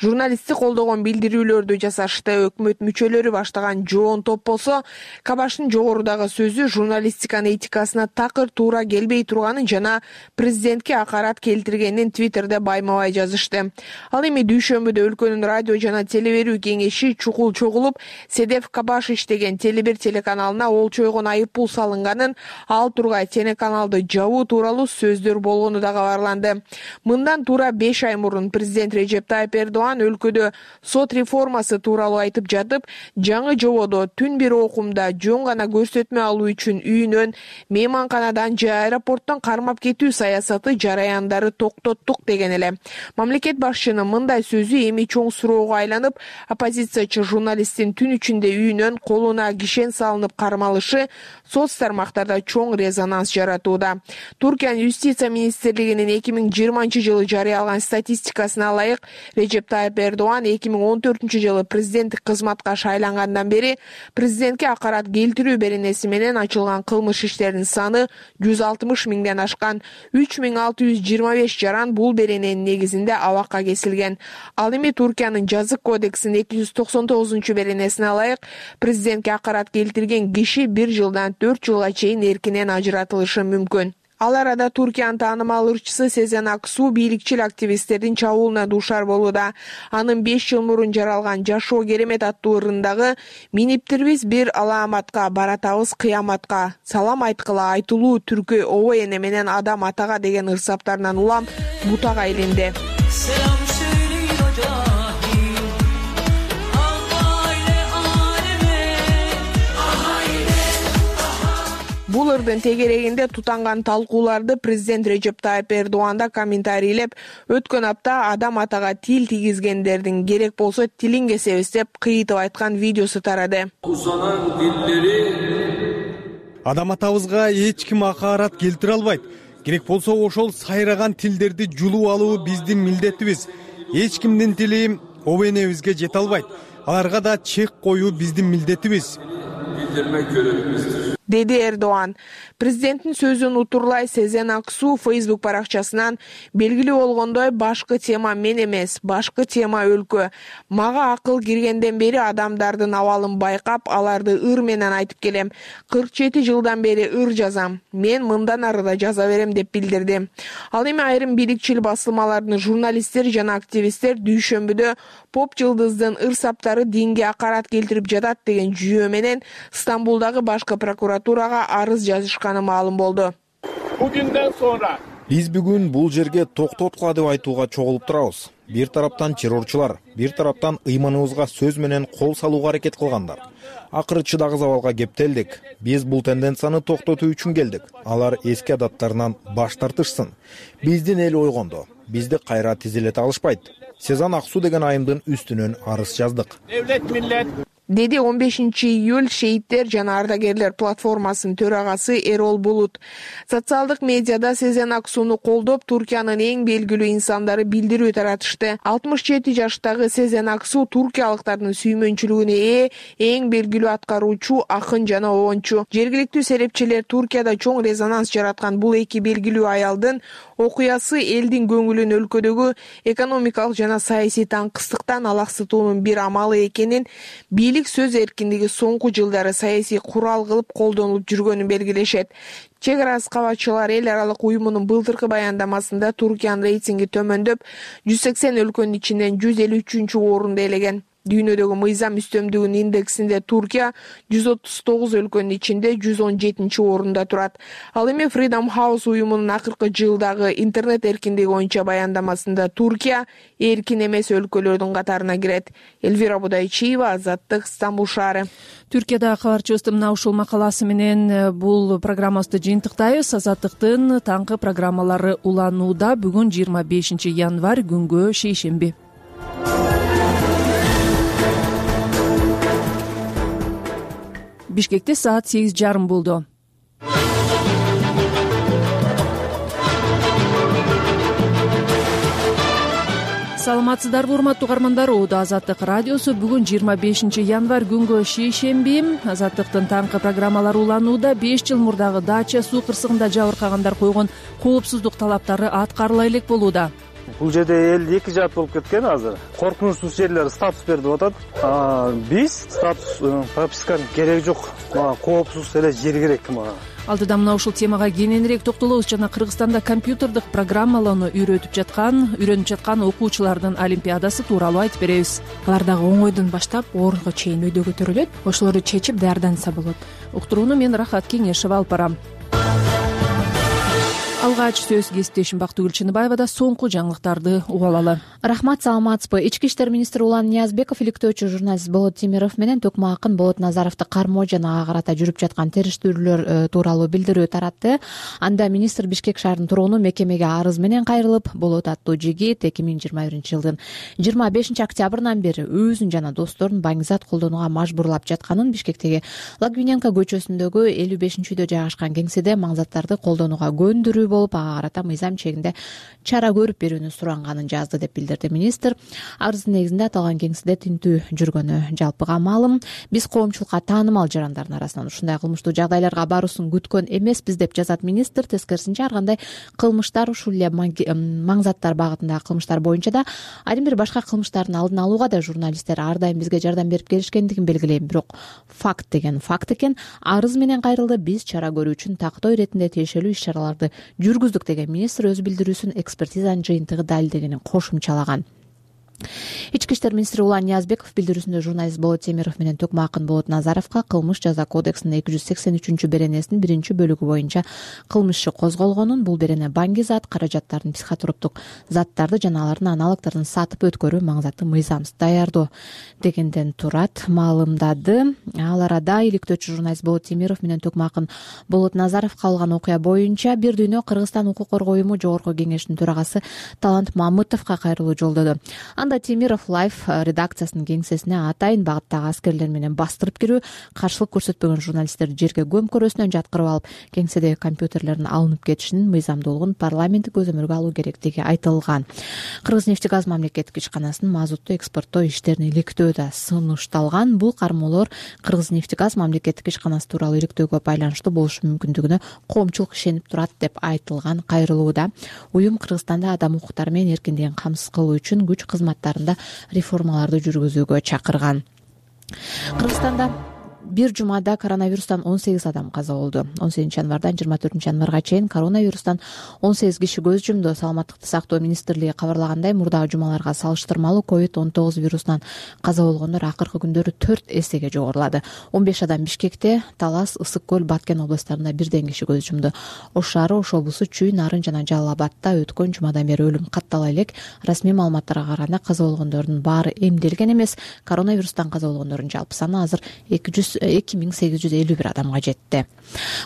журналистти колдогон билдирүүлөрдү жасашты. Өкмөт мүчөлөрү баштаган жоон топ болсо, Кабаштын жогорудагы сөзү журналистиканын этикасына такыр туура келбей турганын жана президентке акарат келтиргенин Твиттерде байма-бай жазышты. Ал эми дүйшөмбүдө өлкөнүн радио жана телеберүү кеңеши чукул чогулуп, Седеф Кабаш иштеген Теле бир телеканалына олчойгон айып пул салынганын, ал тургай телеканалды жабуу тууралуу сөздөр болгону да кабарланды. Мындан туура беш ай мурун президент Режеп Тайып Эрдоган өлкөдө сот реформасы тууралуу айтып жатып, жаңы жободо түн бир окумда жөн гана көрсөтмө алуу үчүн үйүнөн, мейманканадан же аэропорттон кармап кетүү саясаты жараяндары токтоттук деген эле. Мамлекет башчынын мындай сөзү эми чоң суроого айланып, оппозициячы журналисттин түн ичинде үйүнөн колуна кишен салынып кармалышы соц тармактарда чоң резонанс жаратууда. Туркиянын юстиция министрлигинин эки миң жыйырманчы жылы жарыялаган статистикасына ылайык, Режеп Тайып Эрдоган эки миң он төртүнчү жылы президенттик кызматка шайлангандан бери президентке акарат келтирүү беренеси менен ачылган кылмыш иштеринин саны жүз алтымыш миңден ашкан. үч миң алты жүз жыйырма беш жаран бул берененин негизинде абакка кесилген. Ал эми Туркиянын жазык кодексинин эки жүз токсон тогузунчу беренесине ылайык, президентке акарат келтирген киши бир жылдан төрт жылга чейин эркинен ажыратылышы мүмкүн. Ал арада Туркиянын таанымал ырчысы Сезен Аксу бийликчил активисттердин чабуулуна дуушар болууда. Анын беш жыл мурун жаралган Жашоо керемет аттуу ырындагы «Миниптирбиз бир алааматка, баратабыз кыяматка, салам айткыла айтылуу түркү обо эне менен адам атага» деген ырсаптарынан улам бутага айланды. Бул ырдын тегерегинде тутанган талкууларды президент Режеп Тайып Эрдоган да комментарийлеп, өткөн апта адам атага тил тийгизгендердин керек болсо тилин кесебиз деп кыйытып айткан видеосу тарады. Адам атабызга эч ким акаарат келтире албайт. Керек болсо ошол сайраган тилдерди жулуп алуу биздин милдетибиз. Эч кимдин тили обо энебизге жете албайт. Аларга да чек коюу биздин милдетибиз. Деди Эрдоган. Президенттин сөзүн утурлай Сезен Аксу Facebook баракчасынан белгилүү болгондой башкы тема мен эмес, башкы тема өлкө. Мага акыл киргенден бери адамдардын абалын байкап, аларды ыр менен айтып келем. кырк жети жылдан бери ыр жазам. Мен мындан ары да жаза берем деп билдирди. Ал эми айрым бийликчил басылмалардын журналисттер жана активисттер дүйшөмбүдө поп жылдыздын ыр саптары динге акарат келтирип жатат деген жүйө менен Стамбулдагы башкы прокуратурага арыз жазышканы маалым болду. Бүгүндөн sonra биз бүгүн бул жерге токтоткула деп айтууга чогулуп турабыз. Бир тараптан террорчулар, бир тараптан ыйманыбызга сөз менен кол салууга аракет кылгандар. Акыры чыдагы абалга кептелдик. Биз бул тенденцияны токтотуу үчүн келдик. Алар эски адаттарынан баш тартышсын. Биздин эл ойгондо. Бизди кайра тизилете алышпайт. Сезен Аксу деген айымдын үстүнөн арыз жаздык. Devlet millet деди он бешинчи июль шейиттер жана ардагерлер платформасынын төрагасы Эрол Булут. Социалдык медиада Сезен Аксуну колдоп, Туркиянын эң белгилүү инсандары билдирүү таратышты. алтымыш жети жаштагы Сезен Аксу туркиялыктардын сүймөнчүлүгүнө ээ эң белгилүү аткаруучу, акын жана оончу. Жергиликтүү серепчилер Туркияда чоң резонанс жараткан бул эки белгилүү аялдын окуясы элдин көңүлүн өлкөдөгү экономикалык жана саясий таңкыстыктан алаксытуунун бир амалы экенин, бийлик сөз эркиндиги соңку жылдары саясий курал кылып колдонулуп жүргөнүн белгилешет. Чек ара кабатчылар эл аралык уюмунун былтыркы баяндамасында Туркиянын рейтинги төмөндөп, жүз сексен өлкөнүн ичинен жүз элүү үчүнчү орунду ээлеген. Дүйнөдөгү мыйзам үстөмдүгүнүн индексинде Туркия жүз отуз тогуз өлкөнүн ичинде жүз он жетинчи орунда турат. Ал эми Freedom House уюмунун акыркы жылдагы интернет эркиндиги боюнча баяндамасында Туркия эркин эмес өлкөлөрдүн катарына кирет. Элвира Будайчиева, Азаттык, Стамбул шаары. Түркияда кабарчыбыздын мына ушул макаласы менен бул программабызды жыйынтыктайбыз. Азаттыктын таңкы программалары уланууда. Бүгүн жыйырма бешинчи январь, күнгө шейшемби. Бишкекте саат сегиз жарым болду. Саламатсыздарбы, урматтуу угармандар? Оодо Азаттык радиосу. Бүгүн жыйырма бешинчи январь, күнгө шейшемби. Азаттыктын таңкы программалары уланууда. беш жыл мурдагы Дача суу кырсыгында жабыркагандар койгон коопсуздук талаптары аткарыла элек болууда. Бул жерде эл эки жаат болуп кеткен азыр. Коркунучсуз жерлер статус берип атат. Биз статус прописканын кереги жок. Мага коопсуз эле жер керек мага. Алдыда мына ушул темага кененирээк токтолобуз жана Кыргызстанда компьютердик программалоону үйрөтүп жаткан, үйрөнүп жаткан окуучулардын олимпиадасы тууралуу айтып беребиз. Алар дагы оңойдон баштап орунга чейин өйдө көтөрүлөт. Ошолорду чечип даярданса болот. Уктурууну мен Рахат Кеңешева алып барам. Алгач сөз кесиптешим Бактыгүл Чыныбаевада. Соңку жаңылыктарды угуп алалы. Рахмат, саламатсызбы? Ички иштер министри Улан Ниязбеков иликтөөчү журналист Болот Темиров менен Төкмө акын Болот Назаровду кармоо жана ага карата жүрүп жаткан териштирүүлөр тууралуу билдирүү таратты. Анда министр Бишкек шаарынын тургуну мекемеге арыз менен кайрылып, Болот аттуу жигит эки миң жыйырма биринчи жылдын жыйырма бешинчи октябрынан бери өзүн жана досторун баңгизат колдонууга мажбурлап жатканын, Бишкектеги Лагвиненко көчөсүндөгү элүү бешинчи үйдө жайгашкан кеңседе маңзаттарды колдонууга көндүрүү болуп, ага карата мыйзам чегинде чара көрүп берүүнү суранганын жазды деп билдирди министр. Арыздын негизинде аталган кеңседе тинтүү жүргөнү жалпыга маалым. Биз коомчулукка таанымал жарандардын арасынан ушундай кылмыштуу жагдайларга баруусун күткөн эмеспиз деп жазат министр. Тескерисинче, ар кандай кылмыштар, ушул эле маңзаттар багытындагы кылмыштар боюнча да, айрым бир башка кылмыштардын алдын алууга да журналисттер ар дайым бизге жардам берип келишкендигин белгилейм. Бирок факт деген факт экен. Арыз менен кайрылды. Биз чара көрүү үчүн тактоо иретинде тиешелүү иш чараларды жүргүздүк деген министр өз билдирүүсүн экспертизанын жыйынтыгы далилдегенин кошумчалаган. Ички иштер министри Улан Ниязбеков билдирүүсүндө журналист Болот Темиров менен Төкмө акын Болот Назаровго кылмыш жаза кодексинин эки жүз сексен үчүнчү беренесинин биринчи бөлүгү боюнча кылмыш иши козголгонун, бул берене баңги зат, каражаттардын психотроптук заттарды жана алардын аналогдорун сатып өткөрүү маңзаты мыйзамсыз даярдоо дегенден турат, маалымдады. Ал арада иликтөөчү журналист Болот Темиров менен Төкмө акын Болот Назаровго алган окуя боюнча бир дүйнө Кыргызстан укук коргоо уюму жогорку кеңешинин төрагасы Талант Мамытовго кайрылуу жолдоду. Анда Темиров Лайф редакциясынын кеңсесине атайын багыттагы аскерлер менен бастырып кирүү, каршылык көрсөтпөгөн журналисттерди жерге көмкөрөсүнөн жаткырып алып, кеңседеги компьютерлердин алынып кетишинин мыйзамдуулугун парламенттик көзөмөлгө алуу керектиги айтылган. Кыргызнефтегаз мамлекеттик ишканасынын мазутту экспорттоо иштерин иликтөө да сунушталган. Бул кармоолор Кыргызнефтегаз мамлекеттик ишканасы тууралуу иликтөөгө байланыштуу болушу мүмкүндүгүнө коомчулук ишенип турат деп айтылган кайрылууда. Уюм Кыргызстанда адам укуктары менен эркиндигин камсыз кылуу үчүн күч кызматтарында реформаларды жүргүзүүгө чакырган. Кыргызстанда бир жумада коронавирустан он сегиз адам каза болду. он сегизинчи январдан жыйырма төртүнчү январга чейин коронавирустан он сегиз киши көз жумду. Саламаттыкты сактоо министрлиги кабарлагандай, мурдагы жумаларга салыштырмалуу ковид он тогуз вирусунан каза болгондор акыркы күндөрү төрт эсеге жогорулады. он беш адам Бишкекте, Талас, Ысык көл, Баткен областарында бирден киши көз жумду. Ош шаары, Ош облусу, Чүй, Нарын жана Жалал Абадта өткөн жумадан бери өлүм каттала элек. Расмий маалыматтарга караганда каза болгондордун баары эмделген эмес. Коронавирустан каза болгондордун жалпы саны азыр эки жүз эки миң сегиз жүз элүү бир адамга жетти.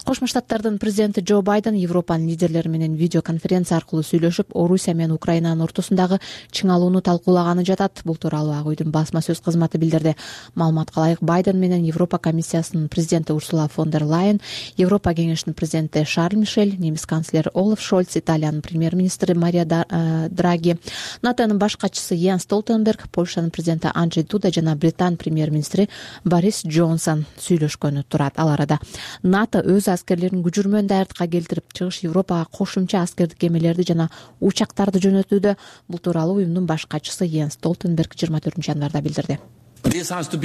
Кошмо Штаттардын президенти Джо Байден Европанын лидерлери менен видеоконференция аркылуу сүйлөшүп, Орусия менен Украинанын ортосундагы чыңалууну талкуулаганы жатат. Бул тууралуу Ак үйдүн басма сөз кызматы билдирди. Маалыматка ылайык, Байден менен Европа комиссиясынын президенти Урсула фон дер Лайен, Европа кеңешинин президенти Шарль Мишель, немис канцлери Олаф Шольц, Италиянын премьер-министри Мария Драги, НАТОнун баш катчысы Йенс Столтенберг, Польшанын президенти Анджей Дуда жана Британ премьер-министри Борис Джонсон сүйлөшкөнү турат. Ал арада НАТО өз аскерлерин күжүрмөн даярдыкка келтирип, Чыгыш Европага кошумча аскердик кемелерди жана учактарды жөнөтүүдө. Бул тууралуу уюмдун баш катчысы Йенс Столтенберг жыйырма төртүнчү январда билдирди. НАТО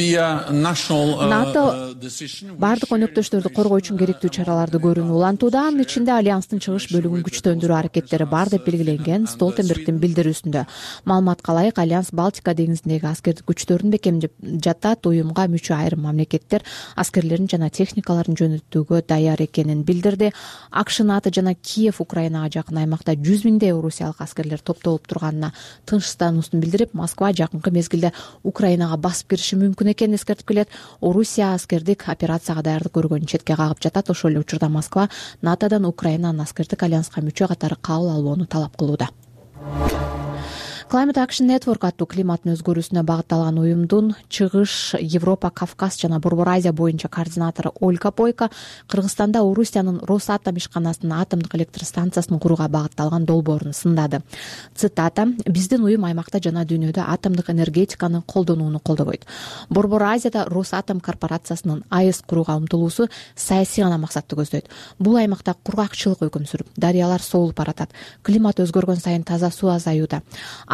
бардык өнөктөштөрдү коргоо үчүн керектүү чараларды көрүүнү улантууда. Анын ичинде альянстын чыгыш бөлүгүн күчтөндүрүү аракеттери бар деп белгиленген Столтенбергдин билдирүүсүндө. Маалыматка ылайык, альянс Балтика деңизиндеги аскердик күчтөрүн бекемдеп жатат. Уюмга мүчө айрым мамлекеттер аскерлерин жана техникаларын жөнөтүүгө даяр экенин билдирди. АКШ, НАТО жана Киев Украинага жакын аймакта жүз миңдей орусиялык аскерлер топтолуп турганына тынчсыздануусун билдирип, Москва жакынкы мезгилде Украинага басып кириши мүмкүн экенин эскертип келет. Орусия аскердик операцияга даярдык көргөнү четке кагып жатат. Ошол эле учурда Москва НАТОдон Украинанын аскердик альянска мүчө катары кабыл алууну талап кылууда. Climate Action Network аттуу климаттын өзгөрүүсүнө багытталган уюмдун Чыгыш Европа, Кавказ жана Борбор Азия боюнча координатору Ольга Бойко Кыргызстанда Орусиянын Росатом ишканасынын атомдук электр станциясын курууга багытталган долбоорун сындады. Цитата: "Биздин уюм аймакта жана дүйнөдө атомдук энергетиканы колдонууну колдобойт. Борбор Азияда Росатом корпорациясынын АЭС курууга умтулуусу саясий гана максатты көздөйт. Бул аймакта кургакчылык өкүм сүрүп, дарыялар соолуп баратат. Климат өзгөргөн сайын таза суу азаюуда.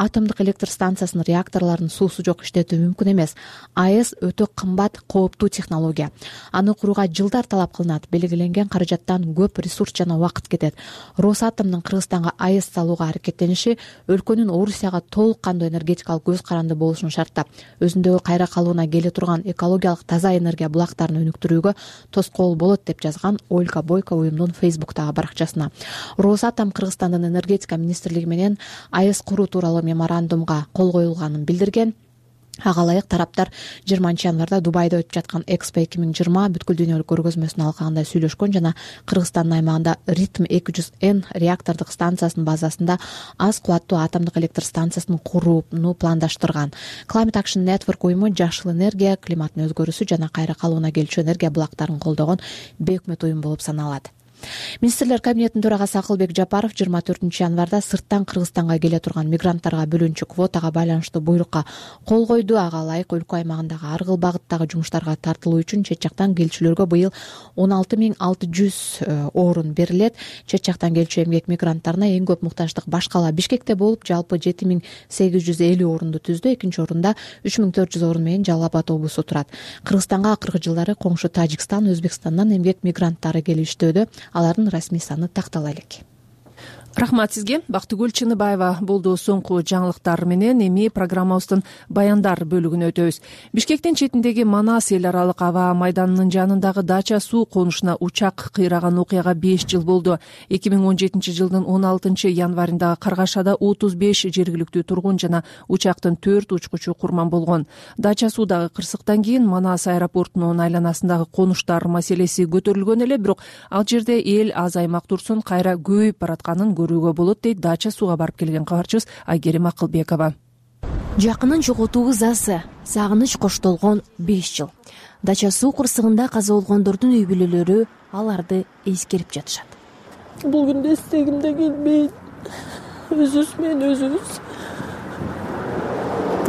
Атомдук электр станциясынын реакторлорун суусу жок иштетүү мүмкүн эмес. АЭС өтө кымбат, кооптуу технология. Аны курууга жылдар талап кылынат. Белгиленген каражаттан көп ресурс жана убакыт кетет. Росатомдун Кыргызстанга АЭС салууга аракеттениши өлкөнүн Орусияга толук кандуу энергетикалык көз каранды болушун шарттап, өзүндөгү кайра калууна келе турган экологиялык таза энергия булактарын өнүктүрүүгө тоскоол болот", деп жазган Ольга Бойко уюмдун Фейсбуктагы баракчасына. Росатом Кыргызстандын энергетика министрлиги менен АЭС куруу тууралуу меморандумга кол коюлганын билдирген. Ага ылайык, тараптар жыйырманчы январда Дубайда өтүп жаткан Экспо эки миң жыйырма бүткүл дүйнөлүк көргөзмөсүн алкагында сүйлөшкөн жана Кыргызстандын аймагында Ритм эки жүз Н реактордук станциясынын базасында аз кубаттуу атомдук электр станциясын курууну пландаштырган. Climate Action Network уюму жашыл энергия, климаттын өзгөрүүсү жана кайра калууна келчү энергия булактарын колдогон бейөкмөт уюм болуп саналат. Министрлер кабинетинин төрагасы Акылбек Жапаров жыйырма төртүнчү январда сырттан Кыргызстанга келе турган мигранттарга бөлүнчү квотага байланыштуу буйрукка кол койду. Ага ылайык, өлкө аймагындагы ар кыл багыттагы жумуштарга тартылуу үчүн чет жактан келчүлөргө быйыл он алты миң алты жүз орун берилет. Чет жактан келчү эмгек мигранттарына эң көп муктаждык баш кала Бишкекте болуп, жалпы жети миң сегиз жүз элүү орунду түздү. Экинчи орунда үч миң төрт жүз орун менен Жалал Абад облусу турат. Кыргызстанга акыркы жылдары коңшу Тажикстан, Өзбекстандан эмгек мигранттары келип иштөөдө. Алардын расмий саны тактала элек. Рахмат сизге. Бактыгүл Чыныбаева болду соңку жаңылыктар менен. Эми программабыздын баяндар бөлүгүнө өтөбүз. Бишкектин четиндеги Манас эл аралык аба майданынын жанындагы дача суу конушуна учак кыйраган окуяга беш жыл болду. эки миң он жетинчи жылдын он алтынчы январында Каргашада отуз беш жергиликтүү тургун жана учактын төрт учкучу курман болгон. Дача суудагы кырсыктан кийин Манас аэропортунун айланасындагы конуштар маселеси көтөрүлгөн эле, бирок ал жерде эл азаймак турсун, кайра көбөйүп баратканын көрүүгө болот, дейт дача сууга барып келген кабарчыбыз Айгерим Акылбекова. Жакынын жоготуу засы, сагыныч коштолгон беш жыл. Дача суу кырсыгында каза болгондордун үй бүлөлөрү аларды эскерип жатышат. Бул күндө эстегим да келбейт. Өзүбүз менен өзүбүз.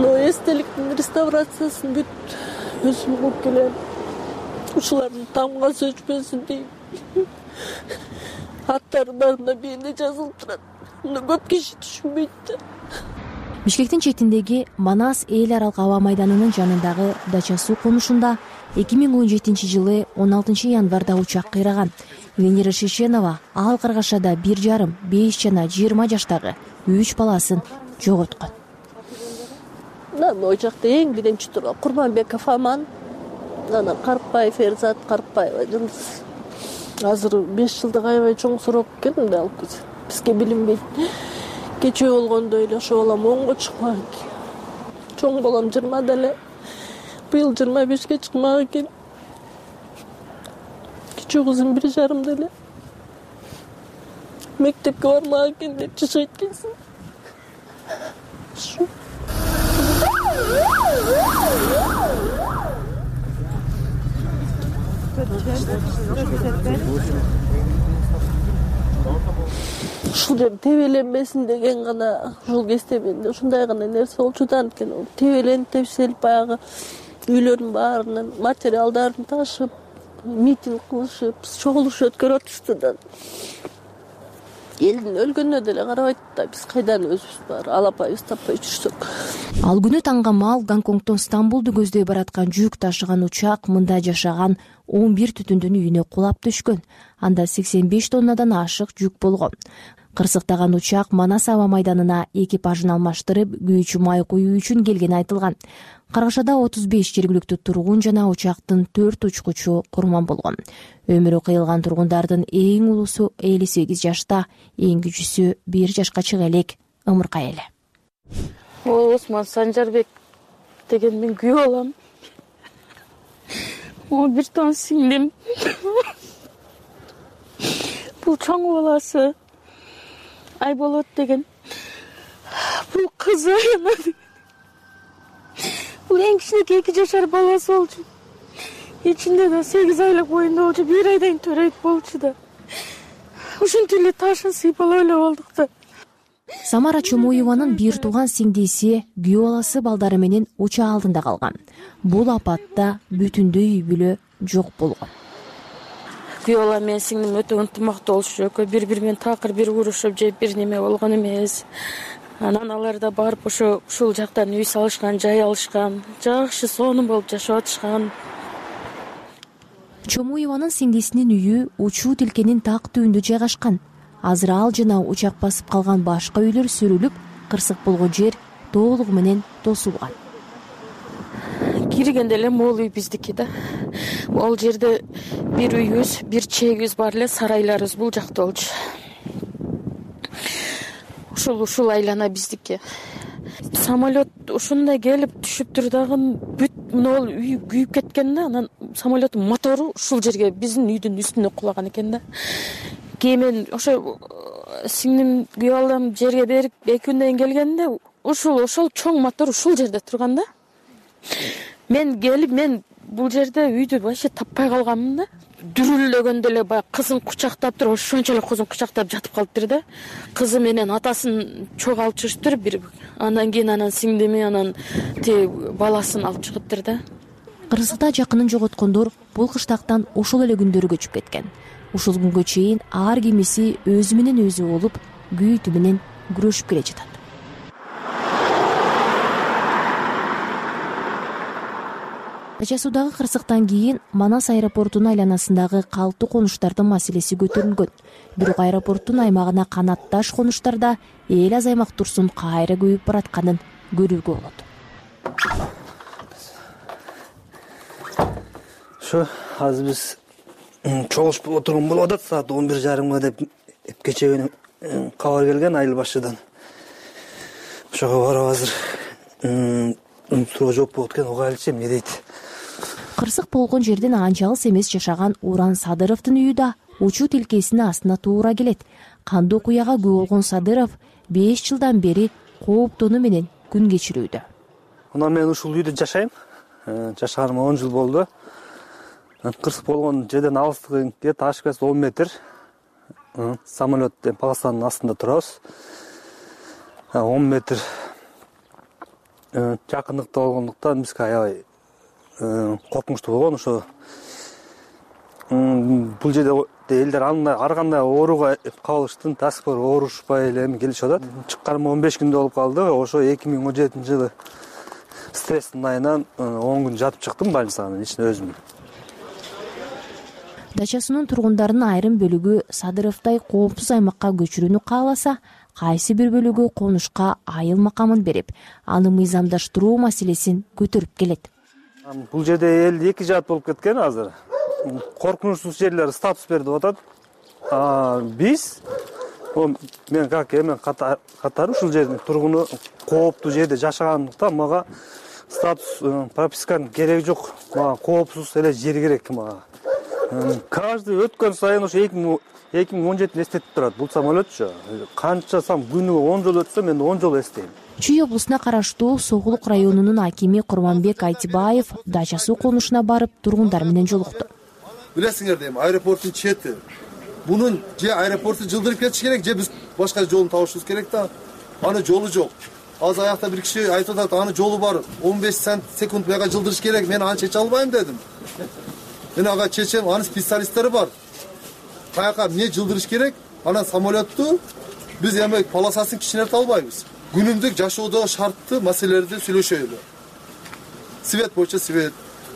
Но эстеликтин реставрациясын бүт өзүм кылып келем. Ушулардын тамга сөчпөсүн дейм. Аттарында биринде жазылып турат. Муну көп киши түшүнбөйт. Бишкектин четиндеги Манас эл аралык аба майданынын жанындагы дача суу конушунда эки миң он жетинчи жылы он алтынчы январда учак кыйраган. Венера Шишенова ал Каргашада бир жарым, беш жана жыйырма жаштагы үч баласын жоготкон. Мен учакта эң биринчи турган Курманбеков Аман, анан Карпаев Эрзат, Карпаева Жылдыз. Азыр беш жылдык аябай чоң суроо келдим да, бизге билинбейт. Кечээ болгондо эле ошо балам онго чыкмак. Чоң балам жыйырмада эле. Быйыл жыйырма бешке чыкмак экен. кичүү кызым бир жарымда эле мектепке бармак экен деп жашайт экенсиң. Ушул жер тебеленбесин деген гана ушул кезде менде ушундай гана нерсе болчу да, анткени тебеленип тепселип баягы үйлөрдүн баарынан материалдарын ташып, митинг кылышып, чогулуш өткөрүп атышты да. Элдин өлгөнүнө деле карабайт да, биз кайдан өзүбүз бар алапайыбыз таппай жүрсөк. Ал күнү таңга маал Гонконгдон Стамбулду көздөй бараткан жүк ташыган учак мында жашаган он бир түтүндүн үйүнө кулап түшкөн. Анда сексен беш тоннадан ашык жүк болгон. Кырсыктаган учак Манас аба майданына экипажын алмаштырып, күйүүчү май куюу үчүн келгени айтылган. Каргашада отуз беш жергиликтүү тургун жана учактын төрт учкучу курман болгон. Өмүрү кыйылган тургундардын эң улуусу элүү сегиз жашта, эң кичүүсү бир жашка чыга элек ымыркай эле. Осман Санжарбек деген мен күйөө балам. О бир тон сиңдим. Бул чоң баласы Айболот деген. Бул кызы. Бул эң кичинекей эки жашар баласы болчу. Ичинде да сегиз айлык боюнда болчу, бир айдан төрөйт болчу да. Ушинтип эле ташын сыйпалап эле болдук да. Самара Чомоеванын бир тууган сиңдиси күйөө баласы балдары менен учак алдында калган. Бул апатта бүтүндөй үй бүлө жок болгон. Күйөө балам менен сиңдим өтө ынтымактуу болушу, экөө бири-бири менен такыр бир урушуп же бир неме болгон эмес. Анан алар да барып ошо ушул жактан үй салышкан, жай алышкан, жакшы сонун болуп жашап атышкан. Чомоеванын сиңдисинин үйү Учуу тилкенин так түбүндө жайгашкан. Азыр ал жана учак басып калган башка үйлөр сүрүлүп, кырсык болгон жер толугу менен тосулган. Киргенде эле могул үй биздики да. Ол жерде бир үйүбүз, бир чегибиз бар эле, сарайларыбыз бул жакта болчу. Ушул ушул айлана биздики. Самолет ушундай келип түшүптүр дагы бүт могул үй күйүп кеткен да, анан самолеттин мотору ушул жерге биздин үйдүн үстүнө кулаган экен да. Кийин ошо сиңдим күйөө балам жерге берип эки күндөн кийин келгенде ушул ошол чоң мотор ушул жерде турган да. Мен келип мен бул жерде үйдү вообще таппай калганмын да. Дүрүлдөгөндө эле баягы кызын кучактап туруп, ошончолук кызын кучактап жатып калыптыр да. Кызы менен атасын чогултуп чыгыштыр бир. Андан кийин анан сиңдими, анан ти баласын алып чыгыптыр да. Кырсыкта жакынын жоготкондор бул кыштактан ошол эле күндөрү көчүп кеткен. Ушул күнгө чейин ар кимиси өзү менен өзү болуп, күйүүтү менен күрөшүп келе жатат. Тача суудагы кырсыктан кийин Манас аэропортунун айланасындагы калктуу конуштардын маселеси көтөрүлгөн. Бирок аэропорттун аймагына канатташ конуштарда эл азаймак турсун кайра көбөйүп баратканын көрүүгө болот. Ошо азыр биз чогулуш болуп турган болуп атат, саат он бир жарымга деп кечээ кабар келген айыл башыдан. Ошого барып азыр суроо жооп болуп кеткен, угайлычы эмне дейт. Кырсык болгон жерден анчалыс эмес жашаган Уран Садыровдун үйү да Учуу тилкесинин астына туура келет. Кандуу окуяга күбө болгон Садыров беш жылдан бери кооптонуу менен күн кечирүүдө. Мына мен ушул үйдө жашайм. Жашаганыма он жыл болду. Кырсык болгон жерден алыстыгы где-то ашпас он метр. Самолеттен полосанын астында турабыз. он метр жакындыкта болгондуктан бизге аябай коркунучтуу болгон. Ошо бул жерде элдер ар кандай ооруга кабылыштын, таскор оорушпай эле эми келишип атат. Чыкканыма он беш күндө болуп калды. Ошо эки миң он жетинчи жылы стресстин айынан он күн жатып чыктым больницанын ичинде өзүм. Дачасынын тургундарынын айрым бөлүгү Садыровдай коопсуз аймакка көчүрүүнү кааласа, кайсы бир бөлүгү конушка айыл макамын берип, аны мыйзамдаштыруу маселесин көтөрүп келет. Бул жерде эл эки жаат болуп кеткен азыр. Коркунучсуз жерлер статус берди деп атат. Биз мен как эми катары ушул жердин тургуну кооптуу жерде жашагандыктан мага статус прописканын кереги жок. Мага коопсуз эле жер керек мага. каждый өткөн сайын ошо эки миң он жетини эстетип турат. Бул самолетчу канча сам күнүгө он жолу өтсө мен он жолу эстейм. Чүй облусуна караштуу Согулук районунун акими Курманбек Айтибаев дача суу конушуна барып тургундар менен жолукту. Билесиңер дейм, аэропорттун чети. Мунун же аэропорту жылдырып кетиш керек, же биз башка жолун табышыбыз керек да. Аны жолу жок. Азыр аякта бир киши айтып атат, аны жолу бар. он беш секунд мага жылдырыш керек. Мен аны чече албайм дедим. Мен ага чечем, анын специалисттери бар. Каяка эмне жылдырыш керек? Анан самолетту биз эми полосасын кичинертип албайбыз. Күнүмдүк жашоодо шарттуу маселелерди сүйлөшөлү. Свет боюнча свет,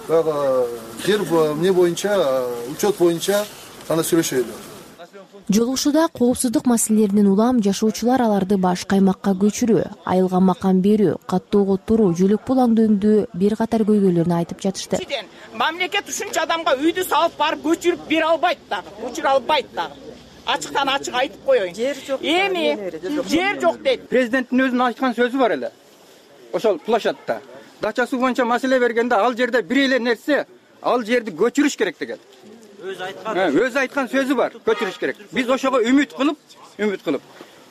баягы жер эмне боюнча, учет боюнча аны сүйлөшөлү. Жолугушууда коопсуздук маселелеринен улам жашоочулар аларды башка аймакка көчүрүү, айылга макан берүү, каттоого туруу, жөлөк булаңдөөндө бир катар көйгөйлөрүн айтып жатышты. Мамлекет ушунча адамга үйдү салып барып көчүрүп бере албайт дагы, көчүрө албайт дагы. Ачыктан ачык айтып коеюн. Жер жок. Эми жер жок дейт. Президенттин өзүнүн айткан сөзү бар эле. Ошол площадьта дача суу боюнча маселе бергенде ал жерде бир эле нерсе, ал жерди көчүрүш керек деген. Өзү айткан. Өзү айткан сөзү бар, көчүрүш керек. Биз ошого үмүт кылып, үмүт кылып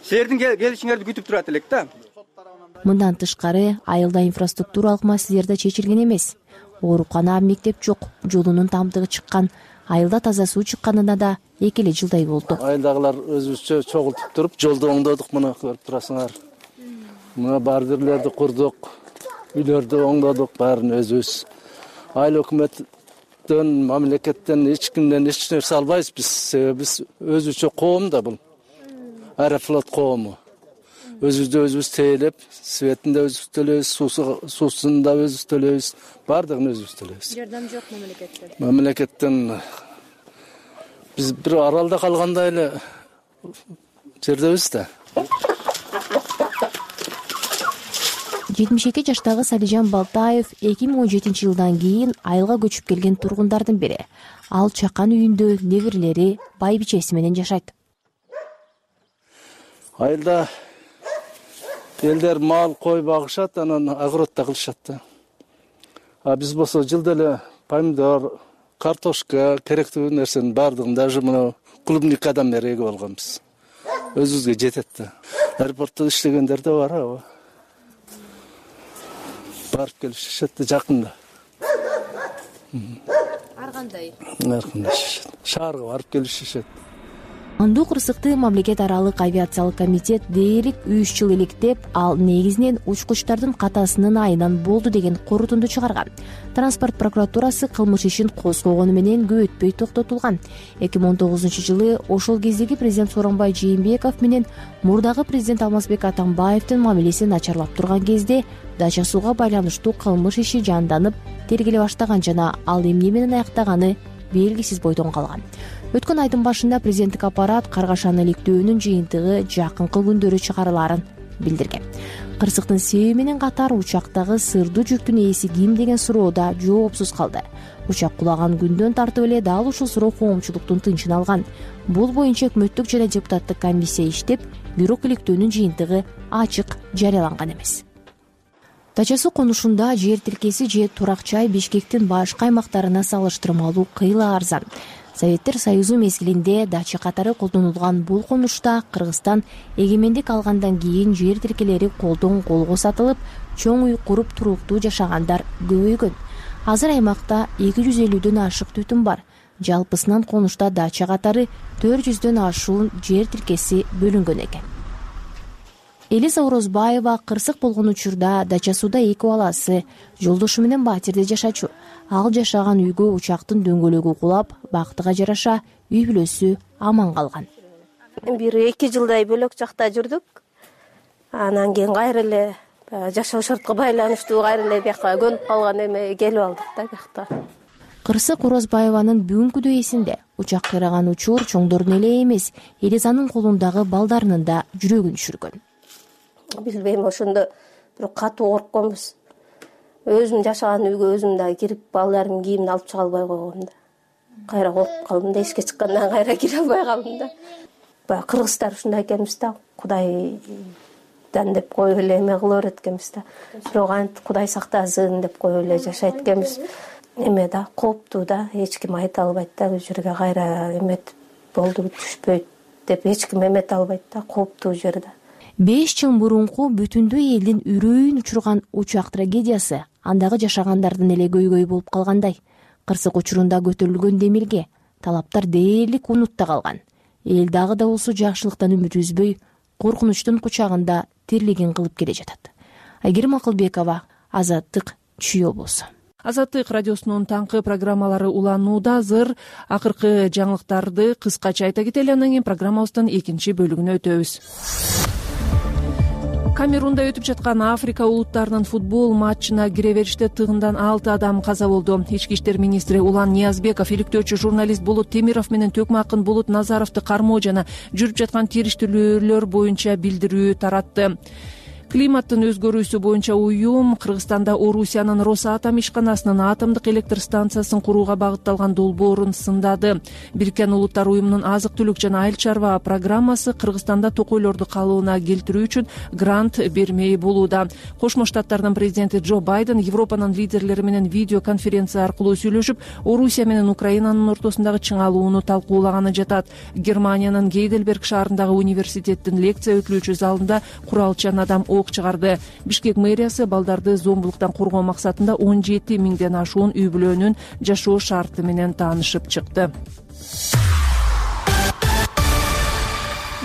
силердин келишиңерди күтүп турат элек да. Мындан тышкары айылда инфраструктуралык маселелер да чечилген эмес. Оорукана, мектеп жок, жолунун тамдыгы чыккан, айылда таза суу чыкканына да эки эле жылдай болду. Айылдагылар өзүбүзчө чогултуп туруп жолду оңдодук, мына көрүп турасыңар. Мына бардырлерди курдук, үйлөрдү оңдодук, баарын өзүбүз. Айыл өкмөттөн, мамлекеттен эч кимден эч нерсе албайбыз биз. Себеби биз өзүбүзчө коом да бул. Аэрофлот коому. Өзүбүздү өзүбүз тейлеп, светин да өзүбүз төлөйбүз, суусун да өзүбүз төлөйбүз, бардыгын өзүбүз төлөйбүз. Жардам жок мамлекеттен. Мамлекеттен биз бир аралда калгандай эле жердебиз да. жетимиш эки жаштагы Салижан Балтаев эки миң он жетинчи жылдан кийин айылга көчүп келген тургундардын бири. Ал чакан үйүндө неберелери, байбичеси менен жашайт. Айылда элдер мал, кой багышат, анан огородто кылышат да. А биз болсо жылда эле помидор, картошка, керектүү нерсенин баардыгын даже мына клубникадан бери эгип алганбыз. Өзүбүзгө жетет да. Аэропортто иштегендер да бар, аба. Барып келип жашат да, жакында. Ар кандай? Ар кандай жашат. Шаарга барып келип жашат. Андуу кырсыкты мамлекет аралык авиациялык комитет дээрлик үч жыл иликтеп, ал негизинен учкучтардын катасынын айынан болду деген корутунду чыгарган. Транспорт прокуратурасы кылмыш ишин козгогону менен көп өтпөй токтотулган. эки миң он тогузунчу жылы ошол кездеги президент Сооронбай Жээнбеков менен мурдагы президент Алмазбек Атамбаевдин мамилеси начарлап турган кезде дача сууга байланыштуу кылмыш иши жанданып, тергеле баштаган жана ал эмне менен аяктаганы белгисиз бойдон калган. Өткөн айдын башында президенттик аппарат каргашаны иликтөөнүн жыйынтыгы жакынкы күндөрү чыгарылаарын билдирген. Кырсыктын себеби менен катар учактагы сырдуу жүктүн ээси ким деген суроо да жоопсуз калды. Учак кулаган күндөн тартып эле дал ушул суроо коомчулуктун тынчын алган. Бул боюнча өкмөттүк жана депутаттык комиссия иштеп, бирок иликтөөнүн жыйынтыгы ачык жарыяланган эмес. Дача суу конушунда жер тилкеси же турак жай Бишкектин башка аймактарына салыштырмалуу кыйла арзан. Советтер Союзу мезгилинде дача катары колдонулган бул конушта Кыргызстан эгемендик алгандан кийин жер тилкелери колдон колго сатылып, чоң үй куруп туруктуу жашагандар көбөйгөн. Азыр аймакта эки жүз элүүдөн ашык түтүн бар. Жалпысынан конушта дача катары төрт жүздөн ашуун жер тилкеси бөлүнгөн экен. Элиза Орозбаева кырсык болгон учурда дача сууда эки баласы, жолдошу менен батирде жашачу. Ал жашаган үйгө учактын дөңгөлөгү кулап, бактыга жараша үй бүлөсү аман калган. Бир эки жылдай бөлөк жакта жүрдүк. Анан кийин кайра эле жашоо шартка байланыштуу кайра эле бияка көнүп калган эме келип алдык да бияка. Кырсык Орозбаеванын бүгүнкү эсинде. Учак кыйраган учур чоңдордун эле эмес, Элизанын колундагы балдарынын да жүрөгүн түшүргөн. Билбейм, ошондо бир катуу коркконбуз. Өзүм жашаган үйгө өзүм да кирип, балдарымдын кийимин алып чыга албай койгом да. Кайра коркуп калдым да, эшикке чыккандан кайра кире албай калдым да. Баягы кыргыздар ушундай экенбиз да, Кудайдан деп коюп эле эме кыла берет экенбиз да. Бирок антип Кудай сактасын деп коюп эле жашайт экенбиз. эме да, кооптуу да, эч ким айта албайт да, бул жерге кайра эметип болду түшпөйт деп эч ким эмете албайт да, кооптуу жер да. беш жыл мурунку бүтүндөй элдин үрөйүн учурган учак трагедиясы андагы жашагандардын эле көйгөйү болуп калгандай. Кырсык учурунда көтөрүлгөн демилге талаптар дээрлик унутта калган. Эл дагы да болсо жакшылыктан үмүт үзбөй, коркунучтун кучагында тирлигин кылып келе жатат. Айгерим Акылбекова, Азаттык, Чүй облусу. Азаттык радиосунун таңкы программалары уланууда. Азыр акыркы жаңылыктарды кыскача айта кетели, анан кийин программабыздын экинчи бөлүгүнө өтөбүз. Камерунда өтүп жаткан Африка улуттарынын футбол матчына кире бериште тыгындан алты адам каза болду. Ички иштер министри Улан Ниязбеков иликтөөчү журналист Болот Темиров менен Төкмакын Болот Назаровду кармоо жана жүрүп жаткан териштирүүлөр боюнча билдирүү таратты. Климаттын өзгөрүүсү боюнча уюм Кыргызстанда Орусиянын Росатом ишканасынын атомдук электр станциясын курууга багытталган долбоорун сындады. Бириккен Улуттар уюмунун азык-түлүк жана айыл чарба программасы Кыргызстанда токойлорду калыбына келтирүү үчүн грант бермей болууда. Кошмо Штаттардын президенти Джо Байден Европанын лидерлери менен видео конференция аркылуу сүйлөшүп, Орусия менен Украинанын ортосундагы чыңалууну талкуулаганы жатат. Германиянын Гейдельберг шаарындагы университеттин лекция өтүлүүчү залында куралчан адам ок чыгарды. Бишкек мэриясы балдарды зомбулуктан коргоо максатында он жети миңден ашуун үй бүлөнүн жашоо шарты менен таанышып чыкты.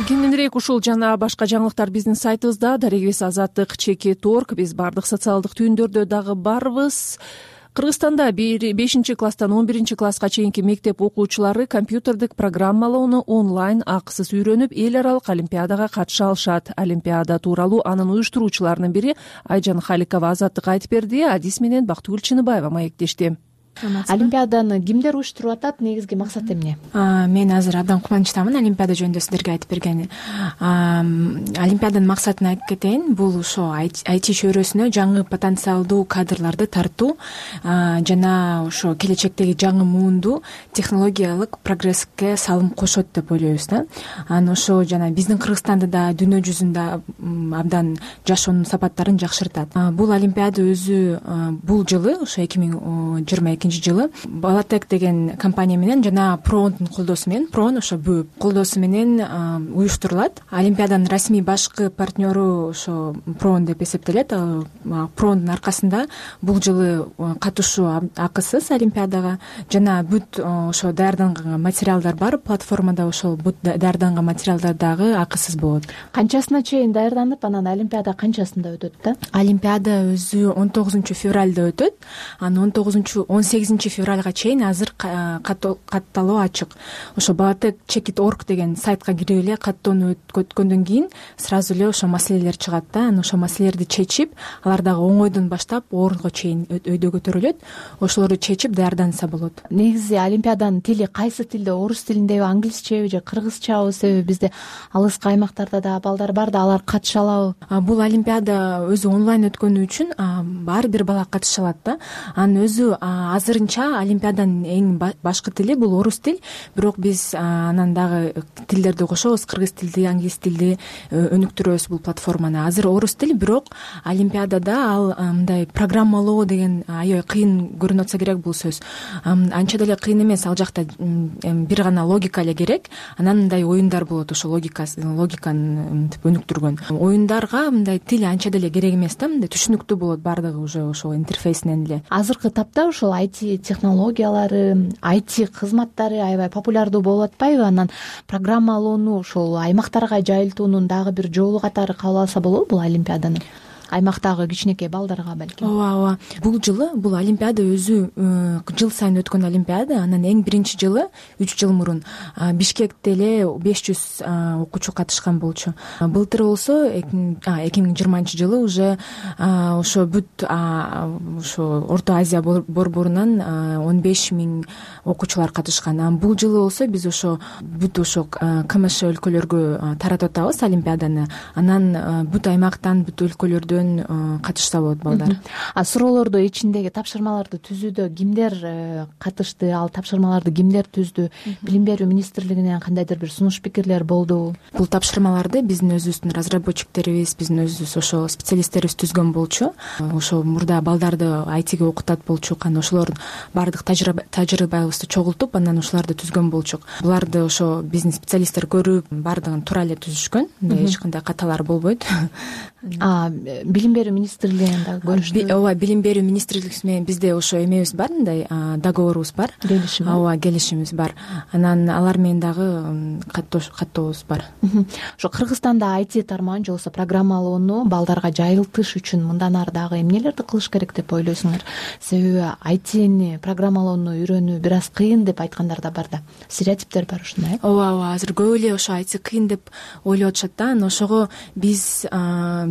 Кеңирээк ушул жана башка жаңылыктар биздин сайтыбызда. Дарегибиз Азаттык чекит точка орг. Биз бардык социалдык түйүндөрдө дагы барбыз. Кыргызстанда бешинчи класстан он биринчи класска чейинки мектеп окуучулары компьютердик программалоону онлайн акысыз үйрөнүп, эл аралык олимпиадага катыша алышат. Олимпиада тууралуу анын уюштуруучуларынын бири Айжан Халикова Азаттыкка айтып берди. Адис менен Бактыгүл Чыныбаева маектешти. Олимпиаданы кимдер уюштуруп атат, негизги максат эмне? Мен азыр абдан кубанычтамын Олимпиада жөнүндө сиздерге айтып бергени. Олимпиаданын максатын айтып кетейин. Бул ошо ай ти чөйрөсүнө жаңы потенциалдуу кадрларды тартуу жана ошо келечектеги жаңы муунду технологиялык прогресске салым кошот деп ойлойбуз да. Анан ошо жана биздин Кыргызстанды да дүйнө жүзүндө абдан жашоонун сапаттарын жакшыртат. Бул Олимпиада өзү бул жылы ошо эки миң жыйырма экинчи жылы Балатек деген компания менен жана Прондун колдоосу менен, Прон ошо бөөп колдоосу менен уюштурулат. Олимпиаданын расмий башкы партнеру ошо Прон деп эсептелет. Прондун аркасында бул жылы катышуу акысыз Олимпиадага жана бүт ошо даярданган материалдар бар. Платформада ошол бүт даярданган материалдар дагы акысыз болот. Канчасына чейин даярданып, анан Олимпиада канчасында өтөт да? Олимпиада өзү он тогузунчу февралда өтөт. Анан он тогузунчу он сегизинчи февралга чейин азыр катталуу ачык. Ошо Балатек чекит точка орг деген сайтка кирип эле каттоону өткөндөн кийин сразу эле ошо маселелер чыгат да. Анан ошо маселелерди чечип, алар дагы оңойдон баштап орунга чейин өйдө көтөрүлөт. Ошолорду чечип даярданса болот. Негизи Олимпиаданын тили кайсы тилде? Орус тилиндеби, англисчеби же кыргызчабы? Себеби бизде алыскы аймактарда да балдар бар да, алар катыша алабы? Бул Олимпиада өзү онлайн өткөнү үчүн ар бир бала катыша алат да. Анын өзү азырынча Олимпиаданын эң башкы тили бул орус тил, бирок биз анан дагы тилдерди кошобуз, кыргыз тилди, англис тилди өнүктүрөбүз бул платформаны. Азыр орус тил, бирок Олимпиадада ал мындай программалоо деген аябай кыйын көрүнүп атса керек бул сөз. Анча деле кыйын эмес, ал жакта бир гана логика эле керек. Анан мындай оюндар болот, ошо логикасы, логиканы өнүктүргөн. Оюндарга мындай тил анча деле керек эмес да, мындай түшүнүктүү болот баардыгы уже ошол интерфейсинен эле. Азыркы тапта ошол ай ти технологиялары, ай ти кызматтары аябай популярдуу болуп атпайбы? Анан программалоону ошол аймактарга жайылтуунун дагы бир жолу катары кабыл алса болобу бул Олимпиаданы? Аймактагы кичинекей балдарга балким. Ооба, ооба. Бул жылы бул Олимпиада өзү жыл сайын өткөн Олимпиада. Анан эң биринчи жылы үч жыл мурун Бишкекте эле беш жүз окуучу катышкан болчу. Былтыр болсо эки миң жыйырманчы жылы уже ошо бүт ошо Орто Азия борборунан он беш миң окуучулар катышкан. Анан бул жылы болсо биз ошо бүт ошо КМШ өлкөлөргө таратып атабыз Олимпиаданы. Анан бүт аймактан, бүт өлкөлөрдөн өздөрүнөн катышса болот балдар. А суроолорду ичиндеги тапшырмаларды түзүүдө кимдер катышты, ал тапшырмаларды кимдер түздү? Билим берүү министрлигинен кандайдыр бир сунуш пикирлер болдубу? Бул тапшырмаларды биздин өзүбүздүн разработчиктерибиз, биздин өзүбүз ошо специалисттерибиз түзгөн болчу. Ошо мурда балдарды ай тиге окутат болчук, анан ошолордун баардык тажрыйбабызды чогултуп, анан ошолорду түзгөн болчук. Буларды ошо биздин специалисттер көрүп, баардыгын туура эле түзүшкөн. Эч кандай каталар болбойт. А билим берүү министрлигинен дагы көрүштү. Ооба, билим берүү министрлиги менен бизде ошо эмебиз бар, мындай договорубуз бар. Келишим. Ооба, келишимибиз бар. Анан алар менен дагы каттообуз бар. Ошо Кыргызстанда ай ти тармагын же болбосо программалоону балдарга жайылтыш үчүн мындан ары дагы эмнелерди кылыш керек деп ойлойсуңар? Себеби ай тини программалоону үйрөнүү бир аз кыйын деп айткандар да бар да. Стереотиптер бар ушундай. Ооба, ооба, азыр көп эле ошо ай ти кыйын деп ойлоп атышат да. Анан ошого биз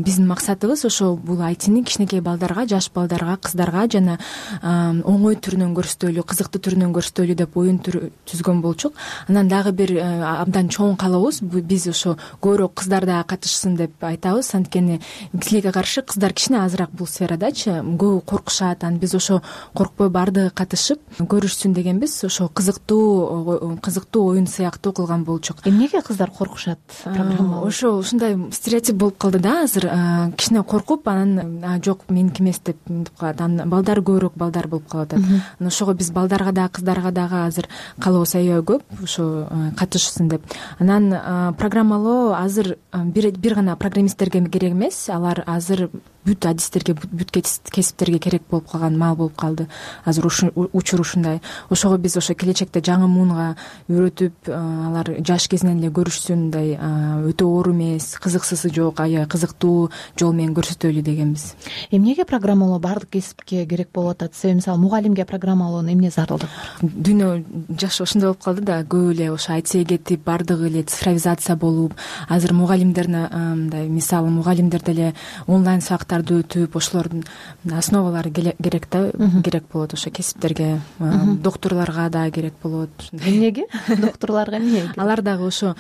биздин максатыбыз ошо бул ай тини кичинекей балдарга, жаш балдарга, кыздарга жана оңой түрүнөн көрсөтөлү, кызыктуу түрүнөн көрсөтөлү деп оюн түзгөн болчук. Анан дагы бир абдан чоң каалообуз биз ошо көбүрөөк кыздар да катышсын деп айтабыз. Анткени тилекке каршы кыздар кичине азыраак бул сферадачы, көбү коркушат. Анан биз ошо коркпой баардыгы катышып көрүшсүн дегенбиз. Ошо кызыктуу кызыктуу оюн сыяктуу кылган болчук. Эмнеге кыздар коркушат? Программа ошо ушундай стереотип болуп калды да азыр. Кичине коркуп, анан жок меники эмес деп мынтип калат. Анан балдар көбүрөөк балдар болуп калып атат. Анан ошого биз балдарга да кыздарга дагы азыр каалообуз аябай көп, ошо катышсын деп. Анан программалоо азыр бир бир гана программисттерге керек эмес. Алар азыр бүт адистерге, бүт кесиптерге керек болуп калган маал болуп калды. Азыр учур ушундай. Ошого биз ошо келечекте жаңы муунга үйрөтүп, алар жаш кезинен эле көрүшсүн, мындай өтө оор эмес, кызыксызы жок, аябай кызыктуу жол менен көрсөтөлү дегенбиз. Эмнеге программалоо баардык кесипке керек болуп атат? Себеби мисалы мугалимге программалоонун эмне зарылдыгы бар? Дүйнө жаш ошондой болуп калды да, көп эле ошо ай тиге кетип, баардыгы эле цифровизация болуп, азыр мугалимдерне мындай мисалы мугалимдер деле онлайн сабактарды өтүп, ошолордун основалары керек да, керек болот ошо кесиптерге, доктурларга да керек болот. Эмнеге? Доктурларга эмне? Алар дагы ошо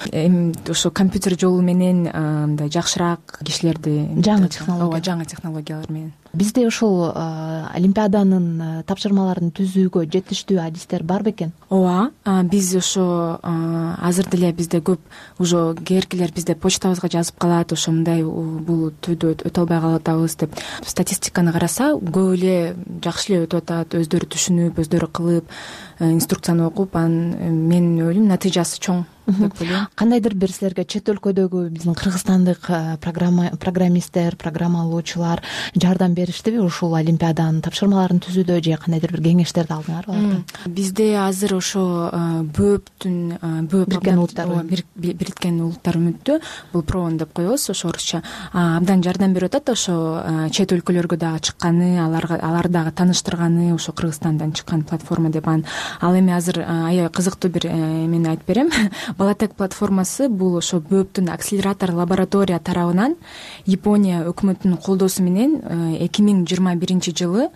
ошо компьютер жолу менен мындай жакшыраак кишилерди, жаңы технология, ооба, жаңы технологиялар менен. Бизде ошол олимпиаданын тапшырмаларын түзүүгө жетиштүү адистер бар бекен? Ооба, биз ошо азыр деле бизде көп уже кээркилер бизде почтабызга жазып калат, ошо мындай бул түйдө өтө албай калып атабыз деп. Статистиканы караса, көп эле жакшы эле өтүп атат, өздөрү түшүнүп, өздөрү кылып, инструкцияны окуп, анан менин ойлойм натыйжасы чоң деп ойлойм. Кандайдыр бир силерге чет өлкөдөгү биздин кыргызстандык программисттер, программалоочулар жардам бериштиби ушул олимпиаданын тапшырмаларын түзүүдө, же кандайдыр бир кеңештерди алдыңарбы алардан? Бизде азыр ошо бөөптүн Бириккен улуттар Бириккен улуттар үмүттүү, бул проон деп коебуз ошо орусча, абдан жардам берип атат. Ошо чет өлкөлөргө дагы чыкканы, аларга алар дагы тааныштырганы, ошо Кыргызстандан чыккан платформа деп. Ал эми азыр аябай кызыктуу бир эмени айтып берем. Балатек платформасы бул ошо бөөптүн акселератор лаборатория тарабынан Япония өкмөтүнүн колдоосу менен эки миң жыйырма биринчи жылы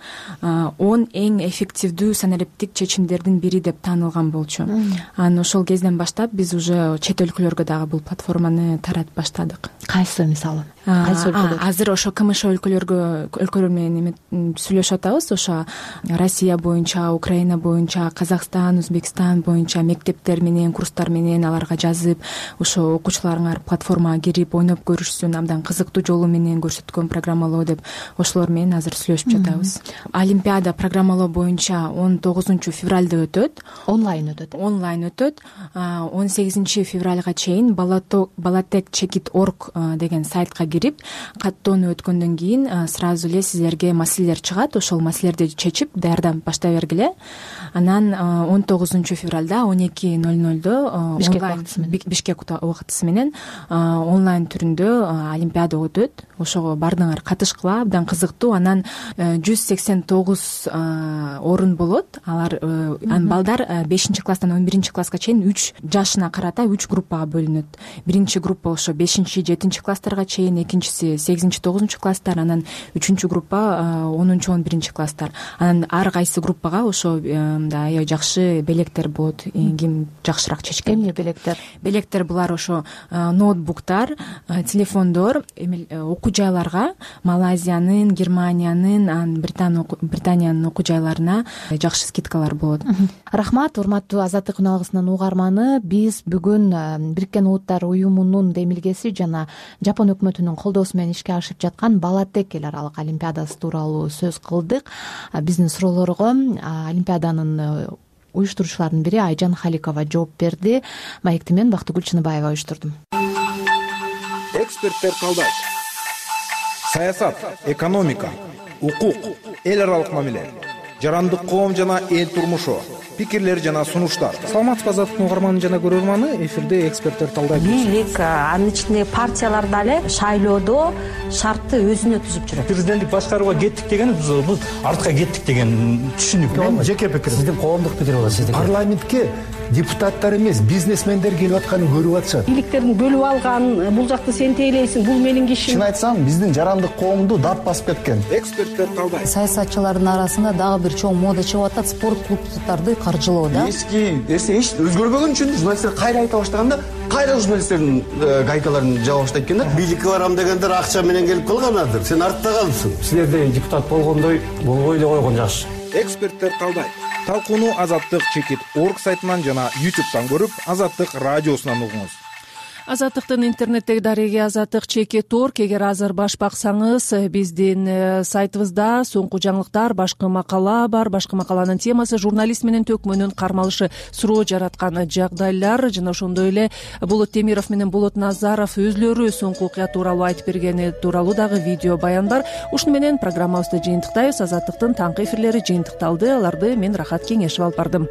он эң эффективдүү санариптик чечимдердин бири деп таанылган болчу. Анан ошол кезден баштап биз уже чет өлкөлөргө дагы бул платформаны таратып баштадык. Кайсы мисалы? Кайсы өлкөлөр? Азыр ошо КМШ өлкөлөргө өлкөлөр менен сүйлөшүп атабыз. Ошо Россия боюнча, Украина боюнча, Казакстан, Өзбекстан боюнча мектептер менен, курстар менен аларга жазып, ошо окуучуларыңар платформага кирип ойноп көрүшсүн, абдан кызыктуу жолу менен көрсөткөн программалоо деп ошолор менен азыр сүйлөшүп жатабыз. Олимпиада программалоо боюнча он тогузунчу февралда өтөт. Онлайн өтөт. Онлайн өтөт. он сегизинчи февралга чейин балатек чекит точка орг деген сайтка кирип, каттоону өткөндөн кийин сразу эле силерге маселелер чыгат. Ошол маселелерди чечип даярдап баштай бергиле. Анан он тогузунчу февралда он эки ноль нолдо Бишкек убактысы менен онлайн түрүндө олимпиада өтөт. Ошого баардыгыңар катышкыла, абдан кызыктуу. Анан жүз сексен тогуз орун болот. Алар балдар бешинчи класстан он биринчи класска чейин үч жашына карата үч группага бөлүнөт. Биринчи группа ошо бешинчи жетинчи класстарга чейин, экинчиси сегизинчи тогузунчу класстар, анан үчүнчү группа онунчу он биринчи класстар. Анан ар кайсы группага ошо аябай жакшы белектер болот, ким жакшыраак чечкен. Эмне белектер? Белектер булар ошо ноутбуктар, телефондор, окуу жайларга, Малайзиянын, Германиянын, анан Британиянын окуу жайларына жакшы скидкалар болот. Рахмат, урматтуу Азаттык үн алгысынын угарманы. Биз бүгүн Бириккен Улуттар уюмунун демилгеси жана Жапон өкмөтүнүн колдоосу менен ишке ашып жаткан Балатек эл аралык олимпиадасы тууралуу сөз кылдык. Биздин суроолорго олимпиаданын уюштуруучуларынын бири Айжан Халикова жооп берди. Маекти мен Бактыгүл Чыныбаева уюштурдум. Эксперттер талдайт. Саясат, экономика, укук, эл аралык мамиле, жарандык коом жана эл турмушу, пикирлер жана сунуштар. Саламатсызбы Азаттыктын угарманы жана көрөрманы, эфирде эксперттер талдайт. Бийлик, анын ичинде партиялар дагы шайлоодо шартты өзүнө түзүп жүрөт. Президенттик башкарууга кеттик деген бул артка кеттик деген түшүнүк. Мен жеке пикирим. Сиздин коомдук пикир болот сиздики. Парламентке депутаттар эмес, бизнесмендер келип атканын көрүп атышат. Бийликтердин бөлүп алган, бул жакты сен тейлейсиң, бул менин кишим. Чын айтсам, биздин жарандык коомду дап басып кеткен. Эксперттер талдайт. Саясатчылардын арасында дагы бир чоң мода чыгып атат, спорт клубдарды каржылоо да. Эски эсе эч өзгөрбөгөн үчүн журналисттер кайра айта баштаганда, кайра журналисттердин гайкаларын жаба баштайт экен да. Бийликке барам дегендер акча менен келип калганадыр. Сен артта калдың. Силерде депутат болгондой болбой эле койгон жакшы. Эксперттер талдайт. Талкууну Азаттык чекит орг сайтынан жана ютубтан көрүп, Азаттык радиосунан угуңуз. Азаттыктын интернеттеги дареги Азаттык чекит орг. Эгер азыр баш баксаңыз, биздин сайтыбызда соңку жаңылыктар, башкы макала бар. Башкы макаланын темасы журналист менен төкмөнүн кармалышы, суроо жараткан жагдайлар жана ошондой эле Болот Темиров менен Болот Назаров өзлөрү соңку окуя тууралуу айтып бергени тууралуу дагы видео баян бар. Ушуну менен программабызды жыйынтыктайбыз. Азаттыктын таңкы эфирлери жыйынтыкталды. Аларды мен Рахат Кеңешев алып бардым.